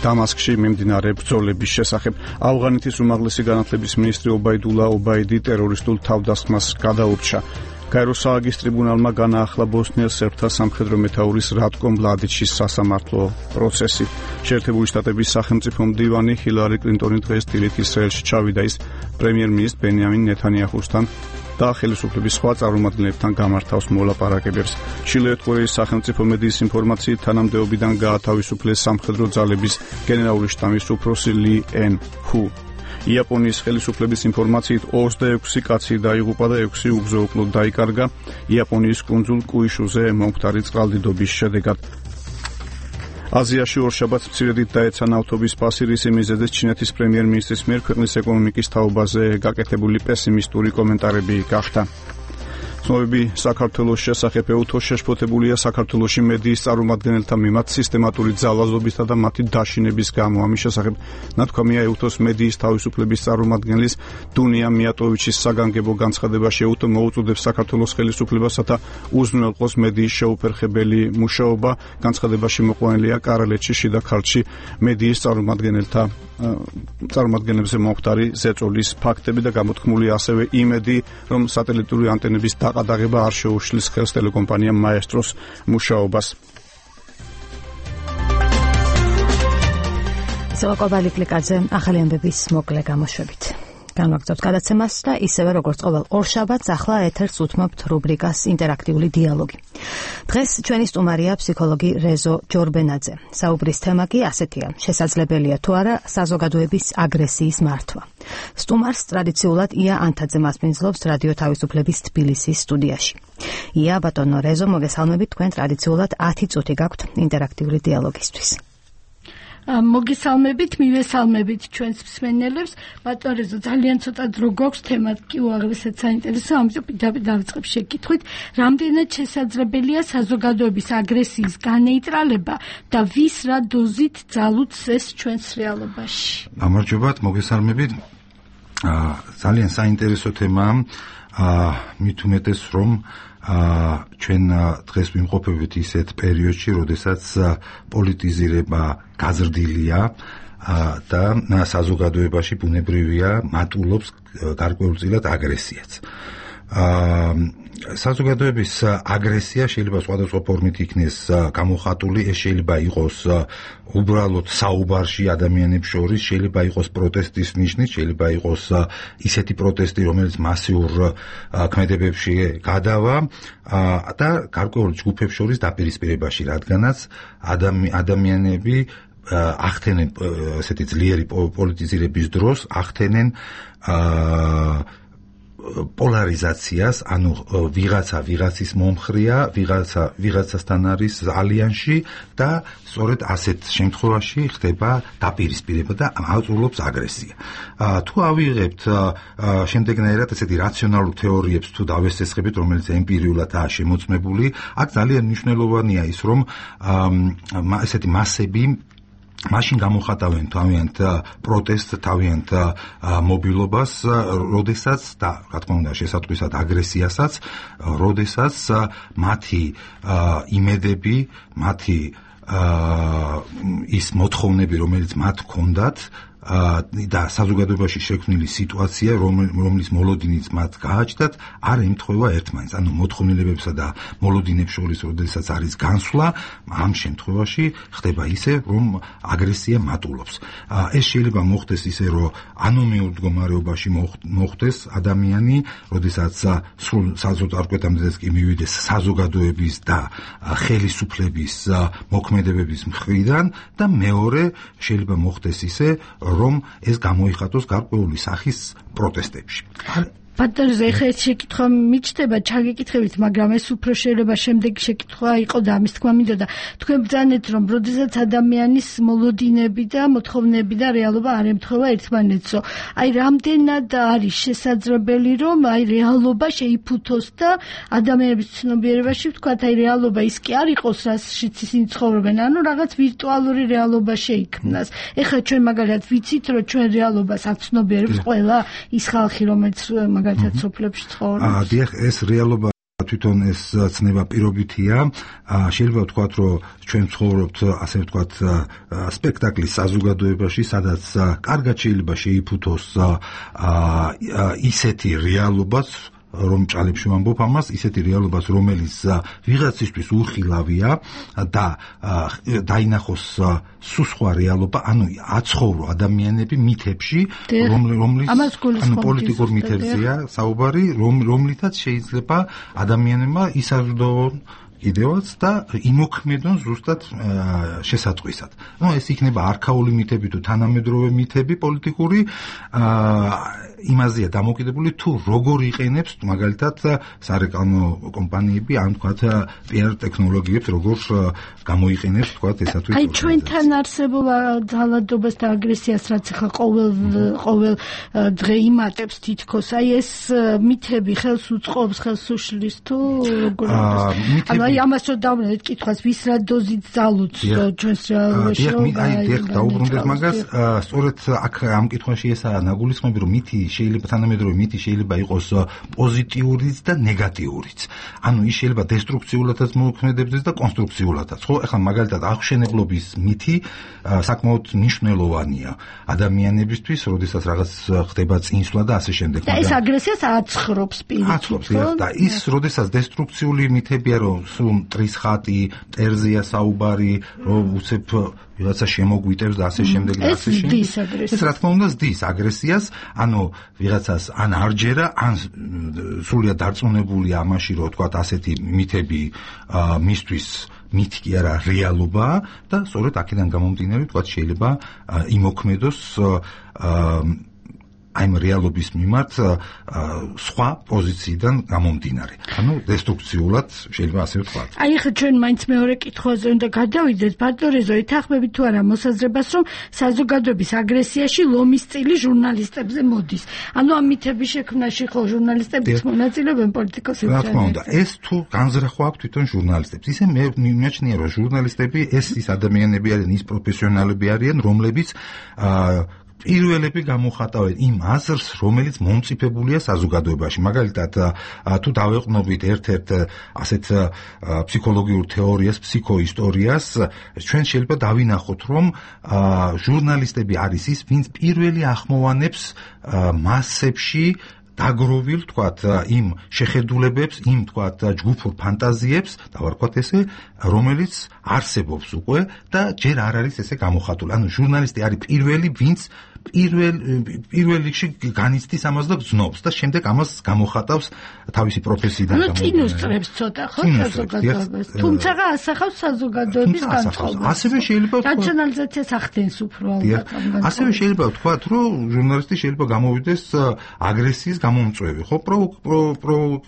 დამასკში მიმდინარე ბრძოლების შესახებ. ავღანეთის უმაღლესი განათლების მინისტრი ობაიდულა ობაიდი ტერორისტულ თავდასხმას გადაურჩა. კაიროს სააგის ტრიბუნალმა განაახლა ბოსნიას სერბთა სამხედრო მეთაურის რატკო მლადიჩის სასამართლო პროცესი. შეერთებული შტატების სახელმწიფო მდივანი ჰილარი კლინტონი დღეს დილით ისრაელში ჩავიდა. ის პრემიერ-მინისტრ ბენიამინ ნეთანიაჰუსთან და ხელისუფლების სხვა წარმომადგენლებთან გამართავს მოლაპარაკებებს. ჩილეეთ კორეის სახელმწიფო მედიის ინფორმაციით თანამდებობიდან გაათავისუფლეს სამხედრო ძალების გენერალური შტაბის უფროსი ლი ენ ჰუ. იაპონიის ხელისუფლების ინფორმაციით 26 კაცი დაიღუპა და 6 უგზო-უკლოდ დაიკარგა იაპონიის კუნძულ კუიშუზე მომხდარი წყალდიდობის შედეგად. აზიაში ორშაბათს მცირედით დაეცანა ავტობის პასი, რის მიზეზად ჩინეთის პრემიერ-მინისტრის მიერ ქვეყნის ეკონომიკის თაობაზე გაკეთებული პესიმისტური კომენტარები გახდა. ცნობები საქართველოს შესახებ ეუთოს შეშფოთებულია საქართველოში მედიის წარმომადგენელთა მიმართ სისტემატური ძალაზობისა და მათი დაშინების გამო. ამის შესახებ ნათქვამია ეუთოს მედიის თავისუფლების წარმომადგენლის დუნია მიატოვიჩის საგანგებო განცხადებაში. ეუთო მოუწოდებს საქართველოს ხელისუფლებასა უზრუნველყოს მედიის შეუფერხებელი მუშაობა. განცხადებაში მოყვანილია კარალეთში, შიდა ქართლში მედიის წარმომადგენლებზე მომხდარი ზეწოლის ფაქტები და გამოთქმული ასევე იმედი, რომ სატელიტური ანტენების ყადაღება არ შეუშლის ხელს ტელეკომპანია მაესტროს მუშაობას. კობალი კლიკაძე ახალი ამბების მოკლე გამოშვებით. განვაგრძობთ გადაცემას და ისევე როგორც ყოველ ორშაბათს ახლა ეთერს უთმობთ რუბრიკას ინტერაქტიული დიალოგი. დღეს ჩვენი სტუმარია ფსიქოლოგი რეზო ჯორბენაძე. საუბრის თემა კი ასეთია: შესაძლებელია თუ არა საზოგადოების აგრესიის მართვა. სტუმარს ტრადიციულად ია ანთაძე მასპინძლობს რადიო თავისუფლების თბილისის სტუდიაში. ია, ბატონო რეზო, მოგესალმებით. თქვენ ტრადიციულად 10 წუთი გაქვთ ინტერაქტიული დიალოგისთვის. მოგესალმებით, მივესალმებით ჩვენს მსმენელებს. ბატონო რეზო, ძალიან ცოტა დრო გვაქვს, თემა კი უაღრესად საინტერესო, ამიტომ პირდაპირ დავიწყებ შეკითხვით. რამდენად შესაძლებელია საზოგადოების აგრესიის განეიტრალება და ვის რა დოზით ძალუძს ეს ჩვენს რეალობაში? გამარჯობათ, მოგესალმებით. ძალიან საინტერესო თემაა. მით უმეტეს რომ ჩვენ დღეს ვიმყოფებით ისეთ პერიოდში, როდესაც პოლიტიზირება გაზრდილია და საზოგადოებაში ბუნებრივია მატულობს გარკვეულწილად აგრესიაც. საზოგადოების აგრესია შეიძლება სხვადასხვა ფორმით იქნეს გამოხატული, ეს შეიძლება იყოს უბრალოდ საუბარში ადამიანებს შორის, შეიძლება იყოს პროტესტის ნიშნით, შეიძლება იყოს ისეთი პროტესტი, რომელიც მასიურ ქმედებებში გადავა და გარკვეულ ჯგუფებს შორის დაპირისპირებაში, რადგანაც ადამიანები ახდენენ ესეთი ძლიერი პოლიტიზირების დროს ახდენენ პოლარიზაციას, ანუ ვიღაცა ვიღაცის მომხრეა, ვიღაცასთან არის ალიანსში და სწორედ ასეთ შემთხვევაში ხდება დაპირისპირება და აუწურლობს აგრესია. თუ ავიღებთ შემდეგნაირად ესეთი რაციონალურ თეორიებს თუ დავესესხებით, რომელიც ემპირიულადაა შემოწმებული, აქ ძალიან მნიშვნელოვანია ის, რომ ესეთი მასები მაშინ გამოხატავენ თავიანთ პროტესტს, თავიანთ მობილობას, როდესაც და რა თქმა უნდა შესატყვისად აგრესიასაც, როდესაც მათი იმედები, მათი ის მოთხოვნები, რომელიც მათ ჰქონდათ და საზოგადოებაში შექმნილი სიტუაცია, რომლის მოლოდინიც მათ გააჩნდათ, არ ემთხვევა ერთმანეთს. ანუ მოთხოვნილებებსა და მოლოდინებს შორის, როდესაც არის განსვლა, ამ შემთხვევაში ხდება ისე, რომ აგრესია მატულობს. ეს შეიძლება მოხდეს ისე, რომ ანომიურ მდგომარეობაში მოხდეს ადამიანი, როდესაც სრულ საზოგადოებამდეც კი მივიდეს საზოგადოების და ხელისუფლების მოქმედებების მხრიდან და მეორე შეიძლება მოხდეს ისე, რომ ეს გამოიხატოს გარკვეული სახის პროტესტებში. ბატონზე ხე შეკითხვა მიჩნდება ჩაგეკითხებით, მაგრამ ეს უფრო შეიძლება შემდეგი შეკითხვა იყო და ამის თქმა მინდოდა. თქვენ ბრძანეთ, რომ როდესაც ადამიანის მოლოდინები და მოთხოვნები და რეალობა არ ემთხვევა ერთმანეთსო. აი რამდენად არის შესაძლებელი, რომ აი რეალობა შეიფუთოს და ადამიანების ცნობიერებაში ვთქვათ, აი რეალობა ის კი არ იყოს, რაშიც ისინი ცხოვრობენ, ანუ რაღაც ვირტუალური რეალობა შეიქმნას. ეხლა ჩვენ მაგალითად ვიცით, რომ ჩვენ რეალობას აცნობიერებს ყველა ის ხალხი, რომელიც მაგალითად სოფლებში ცხოვრობს. დიახ, ეს რეალობა თვითონ ეს ცნება პირობითია. შეიძლება ვთქვათ, რომ ჩვენ ცხოვრობთ, ასე ვთქვათ, სპექტაკლის საზოგადოებაში, სადაც კარგად შეიძლება შეიფუთოს ისეთი რეალობაც, რომ ჭალებში ვამბობ ამას, ისეთი რეალობაც, რომელიც ვიღაცისთვის უხილავია და დაინახოს სულ სხვა რეალობა, ანუ აცხოვრო ადამიანები მითებში, რომლის პოლიტიკურ მითებზეა საუბარი, რომლითაც შეიძლება ადამიანებმა ისაზრდონ კიდევაც და იმოქმედონ ზუსტად შესატყვისად. ეს იქნება არქაული მითები თუ თანამედროვე მითები პოლიტიკური, იმაზეა დამოკიდებული თუ როგორ იყენებს მაგალითად სარეკლამო კომპანიები, ან თქვათ PR ტექნოლოგიებს როგორ გამოიყენებს თქვათ ესათვის. აი ჩვენთან არსებულ ძალადობას და აგრესიას რაც ახლა ყოველ დღე იმატებს თითქოს, აი ეს მითები ხელს უწყობს, ხელს უშლის თუ როგორ ანუ ამას რომ დავვნეთ კითხვას, ვის რა დოზით ძალუძს ჩვენს რეალობაში. დიახ, დაუბრუნდეთ მაგას, სწორედ აქ ამ კითხვაში ესაა ნაგულისხმები, რომ მითი შეიძლება თანამედროვე მითი შეიძლება იყოს პოზიტიურიც და ნეგატიურიც. ანუ ის შეიძლება დესტრუქციულადაც მოქმედებდეს და კონსტრუქციულადაც. ხო, ახლა მაგალითად აღშენებლობის მითი საკმაოდ მნიშვნელოვანია ადამიანებისთვის, როდესაც რაღაც ხდება წინსვლა და ასე შემდეგ. და ეს აგრესიას აცხრობს პირით. აცხრობს და ის როდესაც დესტრუქციული მითებია, რომ სულ მტრის ხატი, მტერზეა საუბარი, რომ უცებ ვიღაცა შემოგვიტევს და ასე შემდეგ და ასე შემდეგ. ეს რა თქმა უნდა ზდის აგრესიას, ანუ ვიღაცას ან არჯერა, ან სრულიად დარწმუნებულია ამაში, რომ თქვა ასეთი მითები მისთვის მითი კი არა რეალობაა და სწორედ აქედან გამომდინარე თქვა შეიძლება იმოქმედოს აი რეალობის მიმართ სხვა პოზიციიდან გამომდინარე. ანუ დესტრუქციულად შეიძლება ასე ვთქვათ. აი ხა ჩვენ მაინც მეორე კითხვაზე უნდა გადავიდეთ. ბატონეზო, ეთანხმებით თუ არა მოსაზრებას, რომ საზოგადოების აგრესიაში ლომის წილი ჟურნალისტებზე მოდის. ანუ ამ მითების შექმნაში ხო ჟურნალისტებიც მონაწილეობენ პოლიტიკოსები? რა თქმა უნდა, ეს თუ განზრახვა აქვს თვითონ ჟურნალისტებს. ისე მე მიმაჩნია, რომ ჟურნალისტები ის ადამიანები არიან, ის პროფესიონალები არიან, რომლებიც პირველები გამოხატავენ იმ აზრს, რომელიც მომწიფებულია საზოგადოებაში. მაგალითად, თუ დავეყნობით ერთ-ერთ ასეთ ფსიქოლოგიურ თეორიას, ფსიქოისტორიას, ჩვენ შეიძლება დავინახოთ, რომ ჟურნალისტები არის ის, ვინც პირველი ახმოვანებს მასებში დაგროვილ, თქვათ, იმ შეხედულებებს, იმ, თქვათ, ჯგუფურ ფანტაზიებს, დავარქვათ ესე, რომელიც არსებობს უკვე და ჯერ არ არის ესე გამოხატული. ანუ ჟურნალისტი არის პირველი, ვინც პირველ რიგში განიცდის ამას და გზნობს და შემდეგ ამას გამოხატავს თავისი პროფესიიდან გამომდინარე. წინუსწრებს ცოტა ხო საზოგადოებას. თუმცა ასახავს საზოგადოების განწყობას. ასევე შეიძლება რაციონალიზაციას ახდენს უფრო ალბათ. ასევე შეიძლება ვთქვათ, რომ ჟურნალისტი შეიძლება გამოვიდეს აგრესიის გამომწვევი, ხო?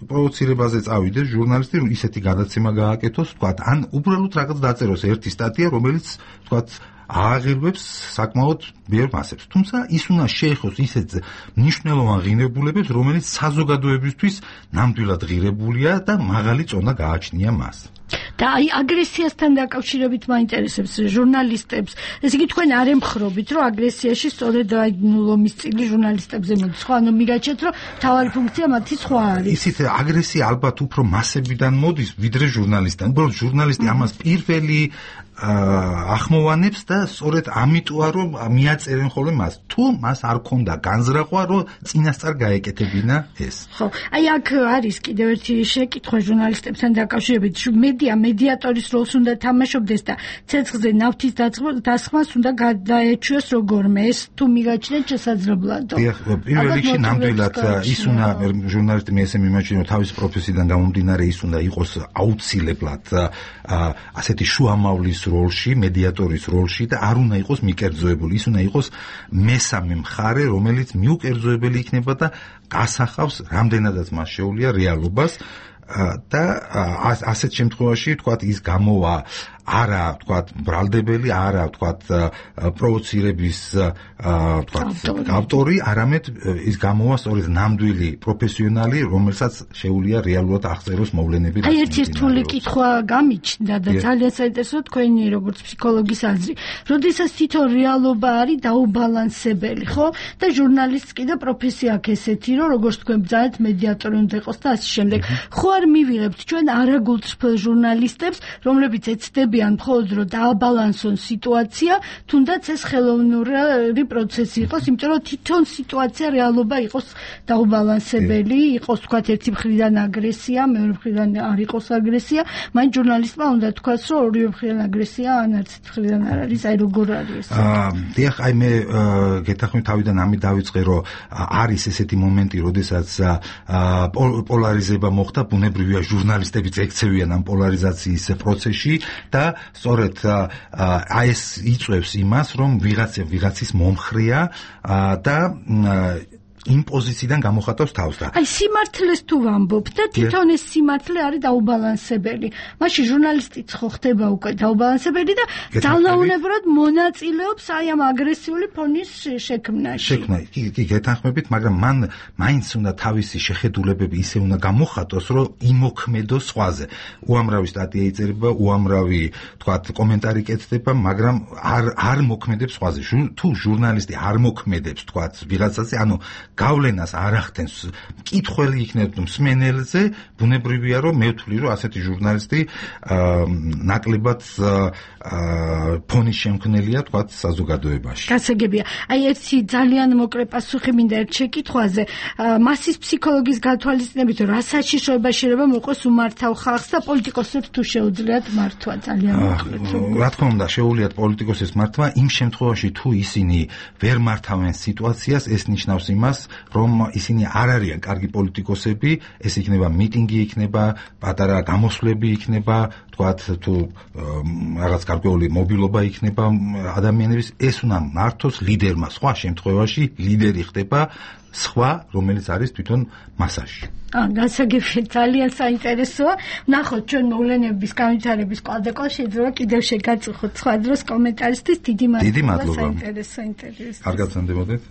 პროვოცირებაზე წავიდეს ჟურნალისტი, ისეთი გადაცემა გააკეთოს, ვთქვათ, ან უბრალოდ რაღაც დაწეროს ერთი სტატია, რომელიც ვთქვათ ააღირვებს საკმაოდ ბევრ მასებს. თუმცა ის უნდა შეეხოს ისეთ მნიშვნელოვან ღირებულებებს, რომელიც საზოგადოებისთვის ნამდვილად ღირებულია და მაღალი წონა გააჩნია მას. და აი აგრესიასთან დაკავშირებით მაინტერესებს ჟურნალისტებს. ესე იგი თქვენ არ ემხრობით, რომ აგრესიაში სწორედ აი ლომის წილი ჟურნალისტებზე მოდის. ხო, ანუ მიგაჩეთ, რომ თავარი ფუნქცია მათი სხვა არის. ისიც აგრესია ალბათ უფრო მასებიდან მოდის, ვიდრე ჟურნალისტიდან. უბრალოდ ჟურნალისტი ამას პირველი ახმოვანებს და სწორედ ამიტოა რომ მიაწერენ ხოლმე მას. თუ მას არ ქონდა განზრახვა, რომ წინასწარ გაეკეთებინა ეს. ხო, აი აქ არის კიდევ ერთი შეკითხვა ჟურნალისტებთან დაკავშირებით. მედიატორის როლს უნდა თამაშობდეს და ცეცხლზე ნავთის დასხმას უნდა გადაეჩვიოს როგორმე. ეს თუ მიგაჩნიათ შესაძლებლადო. პირველ რიგში ნამდვილად ის უნდა ჟურნალისტი მე ესე მიმაჩნია რომ თავის პროფესიიდან გამომდინარე ის უნდა იყოს აუცილებლად ასეთი შუამავლის როლში, მედიატორის როლში და არ უნდა იყოს მიკერძოებული. ის უნდა იყოს მესამე მხარე, რომელიც მიუკერძოებელი იქნება და გასახავს რამდენადაც მას შეუძლია რეალობას. და ასეთ შემთხვევაში თქვათ ის გამოვა არა თქვათ ბრალდებელი, არა თქვათ პროვოცირების თქვათ ავტორი, არამედ ის გამოვა სწორედ ნამდვილი პროფესიონალი, რომელსაც შეუძლია რეალურად აღწეროს მოვლენები. აი ერთი რთული კითხვა გამიჩნდა და ძალიან საინტერესო თქვენი როგორც ფსიქოლოგის აზრი. როდესაც თვითონ რეალობა არის დაუბალანსებელი, ხო? და ჟურნალისტს კიდე პროფესია აქვს ესეთი, რომ როგორც თქვენ ბრძანეთ მედიატორი უნდა იყოს და ასე შემდეგ. ხო არ მივიღებთ ჩვენ არაგულწრფელ ჟურნალისტებს, რომლებიც ეცდებიან მხოლოდ რომ დააბალანსონ სიტუაცია, თუნდაც ეს ხელოვნური პროცესი იყოს, იმიტომ რომ თვითონ სიტუაცია რეალობა იყოს დაუბალანსებელი, იყოს თქვათ ერთი მხრიდან აგრესია, მეორე მხრიდან არ იყოს აგრესია, მაინც ჟურნალისტმა უნდა თქვას, რომ ორივე მხრიდან აგრესია, ან არც მხრიდან არ არის, აი როგორ არის ეს. დიახ, აი მე გეთახმი თავიდან ამით დავიწყე, რომ არის ესეთი მომენტი, როდესაც პოლარიზება მოხდა, ბუნებრივია ჟურნალისტებიც ექცევიან ამ პოლარიზაციის პროცესში და სწორედ აი ეს იწვევს იმას, რომ ვიღაცის მომხრეა და იმ პოზიციიდან გამოხატავს თავს და აი სიმართლეს თუ ვამბობ და თვითონ ეს სიმართლე არის დაუბალანსებელი. მაშინ ჟურნალისტიც ხო ხდება უკვე დაუბალანსებელი და ძალაუნებურად მონაწილეობს აი ამ აგრესიული ფონის შექმნაში. კი, გეთანხმებით, მაგრამ მან მაინც უნდა თავისი შეხედულებები ისე უნდა გამოხატოს, რომ იმოქმედოს სხვაზე. უამრავი სტატია იწერება, უამრავი თქვათ კომენტარი კეთდება, მაგრამ არ მოქმედებს სხვაზე. თუ ჟურნალისტი არ მოქმედებს თქვათ ვიღაცაზე, ანუ გავლენას არ ახდენს მკითხველი იქნება მსმენელზე, ბუნებრივია რომ მე ვთვლი რომ ასეთი ჟურნალისტი ნაკლებად ფონის შემქმნელია თქვათ საზოგადოებაში. გასაგებია. აი ერთი ძალიან მოკლე პასუხი მინდა ერთ შეკითხვაზე. მასის ფსიქოლოგის გათვალისწინებით რა საშიშროება შეიძლება მოყოს უმართავ ხალხს და პოლიტიკოსებს თუ შეუძლიათ მართვა ძალიან მოკლედ. რა თქმა უნდა შეუძლიათ პოლიტიკოსებს მართვა იმ შემთხვევაში თუ ისინი ვერ მართავენ სიტუაციას, ეს ნიშნავს იმას რომ ისინი არ არიან კარგი პოლიტიკოსები, ეს იქნება მიტინგი, იქნება პატარა გამოსვლები, იქნება თქვათ თუ რაღაც გარკვეული მობილობა იქნება ადამიანების, ეს უნდა მართოს ლიდერმა. სხვა შემთხვევაში ლიდერი ხდება სხვა, რომელიც არის თვითონ მასაში. გასაგებია, ძალიან საინტერესოა. ნახოთ ჩვენ მოვლენების განვითარების კვალდაკვალ შეიძლება კიდევ შეგაწუხოთ სხვა დროს კომენტარისტის. დიდი მადლობა. საინტერესო ინტერვიუ. კარგად სანდებოდეთ.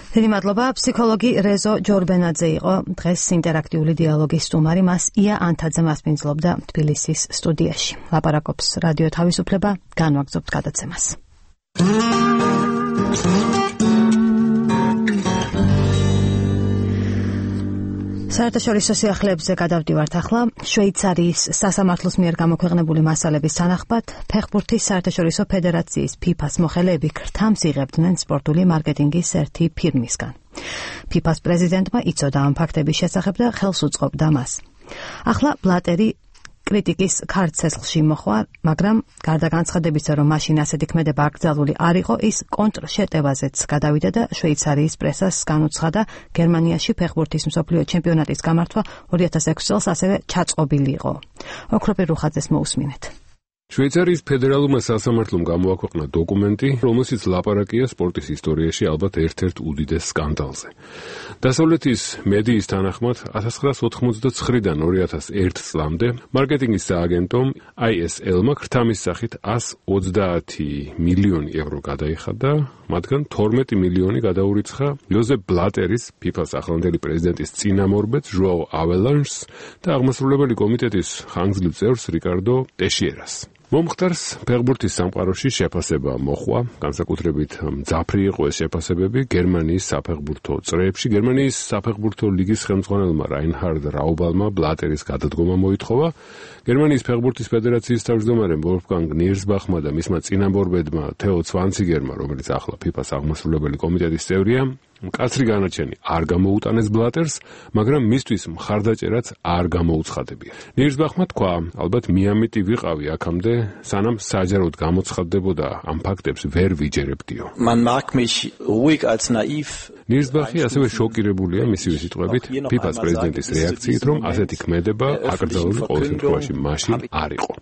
დიდი მადლობა. ფსიქოლოგი რეზო ჯორბენაძე იყო დღეს ინტერაქტიული დიალოგის სტუმარი. მას ია ანთაძე მასპინძლობდა თბილისის სტუდიაში. ლაპარაკობს რადიო თავისუფლება. განვაგრძობთ გადაცემას. საერთაშორისო სიახლეებზე გადავდივართ ახლა. შვეიცარიის სასამართლოს მიერ გამოქვეყნებული მასალების თანახმად, ფეხბურთის საერთაშორისო ფედერაციის FIFA-ს მოხელეები ქრთამს იღებდნენ სპორტული მარკეტინგის ერთი ფირმისგან. FIFA-ს პრეზიდენტმა იცოდა ამ ფაქტების შესახებ და ხელს უწყობდა მას. ახლა ბლატერი კრიტიკის ქართ ცეცხლში მოხვა, მაგრამ გარდა განცხადებისა, რომ მაშინ ასეთი ქმედება აკრძალული არ იყო, ის კონტრშეტევაზეც გადავიდა და შვეიცარიის პრესას განუცხადა, გერმანიაში ფეხბურთის მსოფლიო ჩემპიონატის გამართვა 2006 წელს ასევე ჩაწყობილი იყო. ოქროპირ რუხაძეს მოусმინეთ. შვეიცარიის ფედერალურმა სასამართლომ გამოაქვეყნა დოკუმენტი, რომელშიც ლაპარაკია სპორტის ისტორიაში ალბათ ერთ-ერთ უდიდეს სკანდალზე. დასავლეთის მედიის თანახმად 1989-დან 2001 წლამდე მარკეტინგის სააგენტომ ISL-მა ქრთამის სახით 130 მილიონი евро გადაიხადა, მათგან 12 მილიონი გადაურიცხა იოზეფ ბლატერის, FIFA-ს ახლანდელი პრეზიდენტის წინამორბედს ჟოაო აველანშს და აღმასრულებელი კომიტეტის ხანგრძლივ წევრს რიკარდო ტეშიერას. მომხდარს ფეხბურთის სამყაროში შეფასება მოხვა, განსაკუთრებით მძაფრი იყო ეს შეფასებები გერმანიის საფეხბურთო წრეებში. გერმანიის საფეხბურთო ლიგის ხელმძღვანელმა რაინჰარდ რაუბალმა ბლატერის გადადგომა მოითხოვა. გერმანიის ფეხბურთის ფედერაციის თავმჯდომარემ ვოლფგანგ ნირსბახმა და მისმა წინამორბედმა თეო ცვანციგერმა, რომელიც ახლა FIFA-ს აღმასრულებელი კომიტეტის წევრია, მკაცრი განაჩენი არ გამოუტანეს ბლატერს, მაგრამ მისთვის მხარდაჭერაც არ გამოუცხადებია. ნირსბახმა თქვა, ალბათ მიამიტი ვიყავი აქამდე, სანამ საჯაროდ გამოცხადდებოდა ამ ფაქტებს ვერ ვიჯერებდიო. ნირსბახი ასევე შოკირებულია მისივე სიტყვებით FIFA-ს პრეზიდენტის რეაქციით, რომ ასეთი ქმედება აკრძალული ყოველ შემთხვევაში მაშინ არ იყო.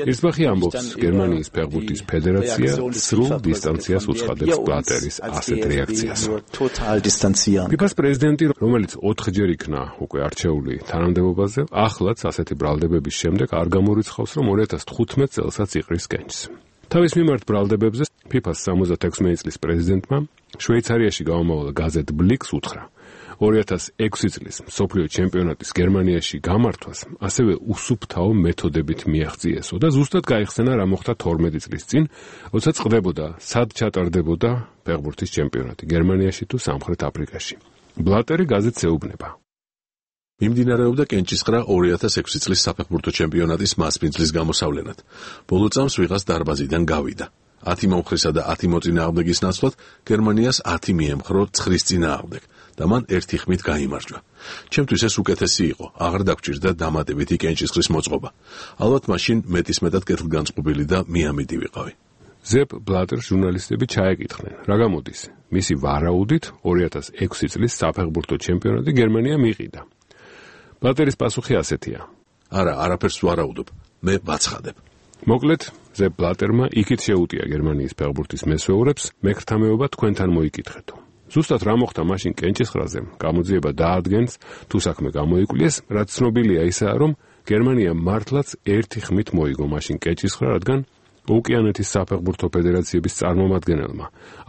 ნირსბახი ამბობს, გერმანიის ფეხბურთის ფედერაცია სრულ დისტანციას უცხადებს ბლატერის ასეთ რეაქციას. FIFA-ს პრეზიდენტი, რომელიც 4-ჯერ იქნა უკვე არჩეული თანამდებობაზე, ახლაც ასეთი ბრალდებების შემდეგ არ გამორიცხავს, რომ 2015 წელსაც იყრის კენჭს. თავის მიმართ ბრალდებებზე FIFA-ს 76 წლის პრეზიდენტმა შვეიცარიაში გამომავალ გაზეთ ბლიქს უთხრა. 2006 წლის მსოფლიო ჩემპიონატის გერმანიაში გამართვას ასევე უსუფთავო მეთოდებით მიაღწიესო და ზუსტად გაიხსენა რა მოხდა 12 წლის წინ, როცა წყდებოდა სად ჩატარდებოდა ფეხბურთის ჩემპიონატი გერმანიაში თუ სამხრეთ აფრიკაში. ბლატერი გაზეთს ეუბნება. მიმდინარეობდა კენჭისყრა 2006 წლის საფეხბურთო ჩემპიონატის მასპინძლის გამოსავლენად. ბოლო წამს ვიღაც დარბაზიდან გავიდა. 10 მომხრისა და 10 მოწინააღმდეგის ნაცვლად გერმანიას 10 მიემხრო 9-ის წინააღმდეგ და მან ერთი ხმით გაიმარჯვა. ჩემთვის ეს უკეთესი იყო, აღარ დაგჭირდა დამატებითი კენჭისყრის მოწყობა. ალბათ მაშინ მეტისმეტად კეთილგანწყობილი და მიამიტი ვიყავი. ზეპ ბლატერს ჟურნალისტები ჩაეკითხნენ, რა გამოდის? მისი ვარაუდით 2006 წლის საფეხბურთო ჩემპიონატი გერმანია მიყიდა. ბლატერის პასუხი ასეთია. არა, არაფერს ვარაუდობ, მე ვაცხადებ. მოკლედ, ზეპ ბლატერმა იქით შეუტია გერმანიის ფეხბურთის მესვეურებს, მეკრთამეობა თქვენთან მოიკითხეთო. ზუსტად რა მოხდა მაშინ კენჭისყრაზე, გამოძიება დაადგენს, თუ საქმე გამოიკვლიეს, რაც ცნობილია ისაა, რომ გერმანია მართლაც ერთი ხმით მოიგო მაშინ კენჭისყრა, რადგან ოკეანეთის საფეხბურთო ფედერაციების წარმომადგენელმა,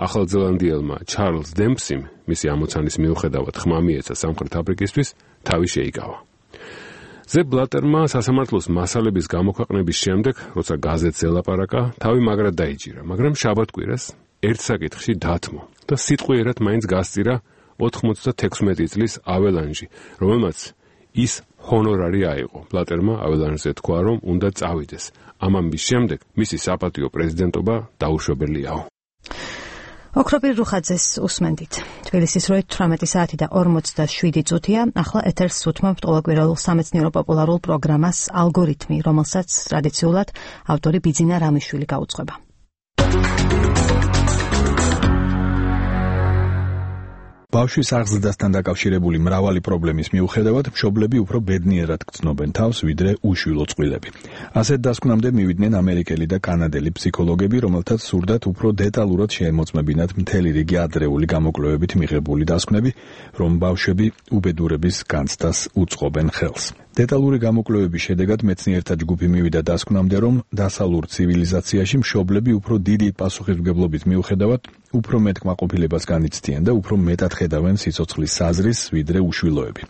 ახალზელანდიელმა ჩარლზ დემპსიმ, მისი ამოცანის მიუხედავად ხმა მიეცა სამხრეთ აფრიკისთვის, თავი შეიკავა. ზეპ ბლატერმა სასამართლოს მასალების გამოქვეყნების შემდეგ, როცა გაზეთს ელაპარაკა, თავი მაგრად დაიჭირა, მაგრამ შაბათკვირას ერთ საკითხში დათმო და სიტყვიერად მაინც გასწირა 96 წლის აველანჟი, რომელმაც ის ჰონორარი აიღო. ბლატერმა აველანჟზე თქვა, რომ უნდა წავიდეს. ამ ამბის შემდეგ მისი საპატიო პრეზიდენტობა დაუშვებელიაო. ოქროპირ რუხაძეს უსმენდით. თბილისის 18 საათი და 47 წუთია. ახლა ეთერს უთმობთ ყოველკვირეულ სამეცნიერო პოპულარულ პროგრამას ალგორითმი, რომელსაც ტრადიციულად ავტორი ბიძინა რამიშვილი გაუძღვება. ბავშვის აღზრდასთან დაკავშირებული მრავალი პრობლემის მიუხედავად, მშობლები უფრო ბედნიერად გრძნობენ თავს, ვიდრე უშვილო წყვილები. ასეთ დასკვნამდე მივიდნენ ამერიკელი და კანადელი ფსიქოლოგები, რომელთაც სურდათ უფრო დეტალურად შეემოწმებინათ მთელი რიგი ადრეული გამოკვლევებით მიღებული დასკვნები, რომ ბავშვები უბედურების განცდას უწყობენ ხელს. დეტალური გამოკვლევების შედეგად მეცნიერთა ჯგუფი მივიდა დასკვნამდე, რომ დასავლურ ცივილიზაციაში მშობლები უფრო დიდი პასუხისმგებლობის მიუხედავად უფრო მეტ კმაყოფილებას განიცდიან და უფრო მეტად ხედავენ სიცოცხლის საზრისს, ვიდრე უშვილოები.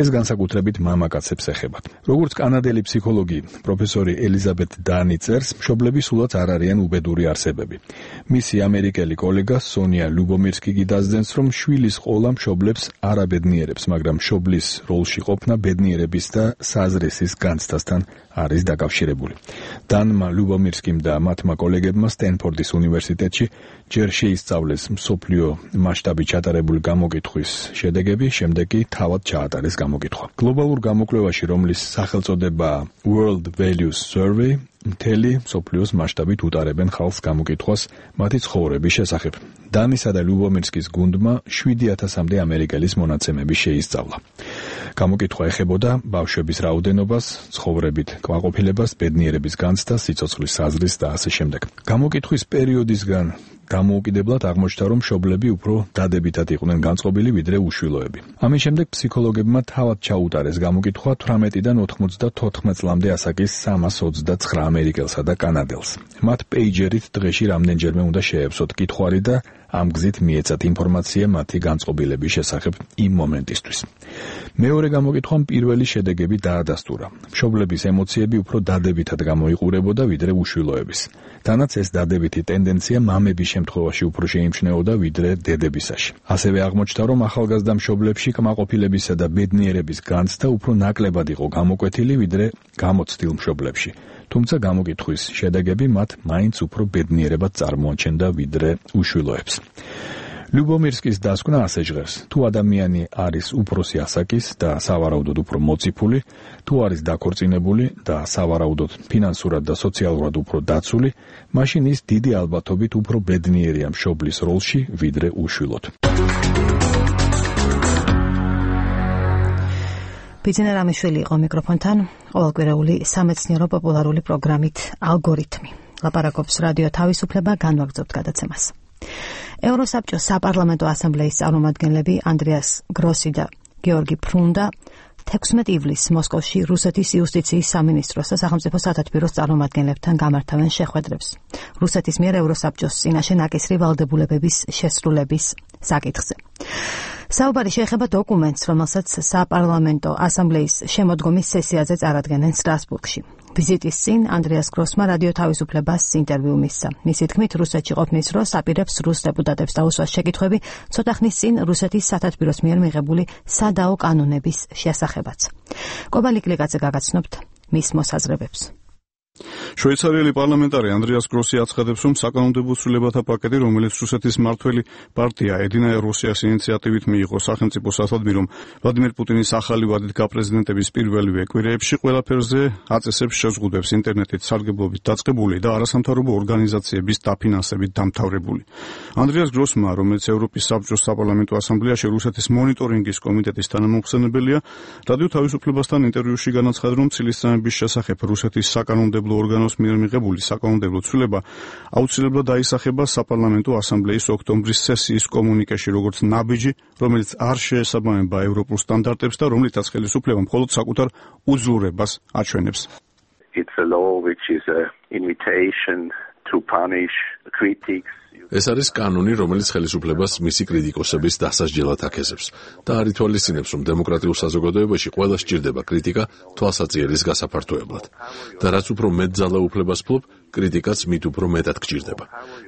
ეს განსაკუთრებით მამაკაცებს ეხება. როგორც კანადელი ფსიქოლოგი პროფესორი ელიზაბეთ დანი წერს, მშობლები სულაც არ არიან უბედური არსებები. მისი ამერიკელი კოლეგა სონია ლუბომირსკი კი დასძენს, რომ შვილის ყოლა მშობლებს არ აბედნიერებს, მაგრამ მშობლის როლში ყოფნა ბედნიერების და საზრისის განცდასთან არის დაკავშირებული. დანმა ლუბომირსკიმ და მათმა კოლეგებმა სტენფორდის უნივერსიტეტში ჯერ შეისწავლეს მსოფლიო მასშტაბით ჩატარებული გამოკითხვის შედეგები, შემდეგ კი თავად ჩაატარეს გამოკითხვა. გლობალურ გამოკვლევაში, რომლის სახელწოდებაა World Values Survey, მთელი მსოფლიოს მასშტაბით უტარებენ ხალხს გამოკითხვას მათი ცხოვრების შესახებ. დანისა და ლიუბომირსკის გუნდმა 7,000-მდე ამერიკელის მონაცემები შეისწავლა. გამოკითხვა ეხებოდა ბავშვების რაოდენობას, ცხოვრებით კმაყოფილებას, ბედნიერების განცდას, სიცოცხლის საზრისს და ასე შემდეგ. გამოკითხვის პერიოდისგან გამოუკიდებლად აღმოჩნდა, რომ მშობლები უფრო დადებითად იყვნენ განწყობილი ვიდრე უშვილოები. ამის შემდეგ ფსიქოლოგებმა თავად ჩაუტარეს გამოკითხვა 18-დან 94 წლამდე ასაკის 329 ამერიკელსა და კანადელს. მათ პეიჯერით დღეში რამდენჯერმე უნდა შეეცოთ კითხვარი და ამ გზით მიეცათ ინფორმაცია მათი განწყობილების შესახებ იმ მომენტისთვის. მეორე გამოკითხვამ პირველი შედეგები დაადასტურა. მშობლების ემოციები უფრო დადებითად გამოიყურებოდა ვიდრე უშვილოების. თანაც ეს დადებითი ტენდენცია მამების შემთხვევაში უფრო შეიმჩნეოდა ვიდრე დედებისაში. ასევე აღმოჩნდა, რომ ახალგაზრდა მშობლებში კმაყოფილებისა და ბედნიერების განცდა უფრო ნაკლებად იყო გამოკვეთილი ვიდრე გამოცდილ მშობლებში. თუმცა გამოკითხვის შედეგები მათ მაინც უფრო ბედნიერებად წარმოაჩენდა ვიდრე უშვილოებს. ლიუბომირსკის დასკვნა ასე ჟღერს: თუ ადამიანი არის უფროსი ასაკის და სავარაუდოდ უფრო მოციფული, თუ არის დაქორწინებული და სავარაუდოდ ფინანსურად და სოციალურად უფრო დაცული, მაშინ ის დიდი ალბათობით უფრო ბედნიერია მშობლის როლში ვიდრე უშვილოდ. ბიძინა რამიშვილი იყო მიკროფონთან, ყოველკვირეული სამეცნიერო პოპულარული პროგრამით ალგორითმი. ლაპარაკობს რადიო თავისუფლება, განვაგრძობთ გადაცემას. ევროსაბჭოს საპარლამენტო ასამბლეის წარმომადგენლები ანდრეას გროსი და გეორგი ფრუნდა 16 ივლისს მოსკოვში რუსეთის იუსტიციის სამინისტროს და სახელმწიფო სათათბიროს წარმომადგენლებთან გამართავენ შეხვედრებს. რუსეთის მიერ ევროსაბჭოს წინაშე ნაკისრი ვალდებულებების შესრულების საკითხზე. საუბარი შეეხება დოკუმენტს, რომელსაც საპარლამენტო ასამბლეის შემოდგომის სესიაზე წარადგენენ სტრასბურგში. ვიზიტის წინ ანდრეას გროსმა რადიო თავისუფლებას ინტერვიუ მისცა. მისი თქმით, რუსეთში ყოფნის დროს აპირებს რუს დეპუტატებს დაუსვას შეკითხვები ცოტა ხნის წინ რუსეთის სათათბიროს მიერ მიღებული სადაო კანონების შესახებაც. კობალი კლიკაძე გაგაცნობთ მის მოსაზრებებს. შვეიცარიელი პარლამენტარი ანდრეას გროსი აცხადებს, რომ საკანონმდებლო ცვლილებათა პაკეტი, რომელიც რუსეთის მმართველი პარტია ედინა რუსიას ინიციატივით მიიღო სახელმწიფო სათათბირომ ვლადიმერ პუტინის ახალი ვადით გაპრეზიდენტების პირველივე კვირეებში, ყველაფერზე აწესებს შეზღუდვებს ინტერნეტით სარგებლობით დაწყებული და არასამთავრობო ორგანიზაციების დაფინანსებით დამთავრებული. ანდრეას გროსმა, რომელიც ევროპის საბჭოს საპარლამენტო ასამბლეაში რუსეთის მონიტორინგის კომიტეტის თანამომხსენებელია, რადიო თავისუფლებასთან ინტერვიუში განაცხადა, რომ ცილისწამების შესახებ რუსეთის საკანონმდებლო ორგანოს მიერ მიღებული საკანონმდებლო ცვლილება აუცილებლად დაისახება საპარლამენტო ასამბლეის ოქტომბრის სესიის კომუნიკეში, როგორც ნაბიჯი, რომელიც არ შეესაბამება ევროპულ სტანდარტებს და რომლითაც ხელისუფლება მხოლოდ საკუთარ უძლურებას აჩვენებს. It's a law which is an invitation to punish critics. ეს არის კანონი, რომელიც ხელისუფლებას მისი კრიტიკოსების დასასჯელად აკეთებს და არ ითვალისწინებს, რომ დემოკრატიულ საზოგადოებაში ყველა სჭირდება კრიტიკა თვალსაჩინელის გასაფართოებლად. და რაც უფრო მეტ ძალაუფლებას ფლობ, კრიტიკაც მით უფრო მეტად გჭირდება.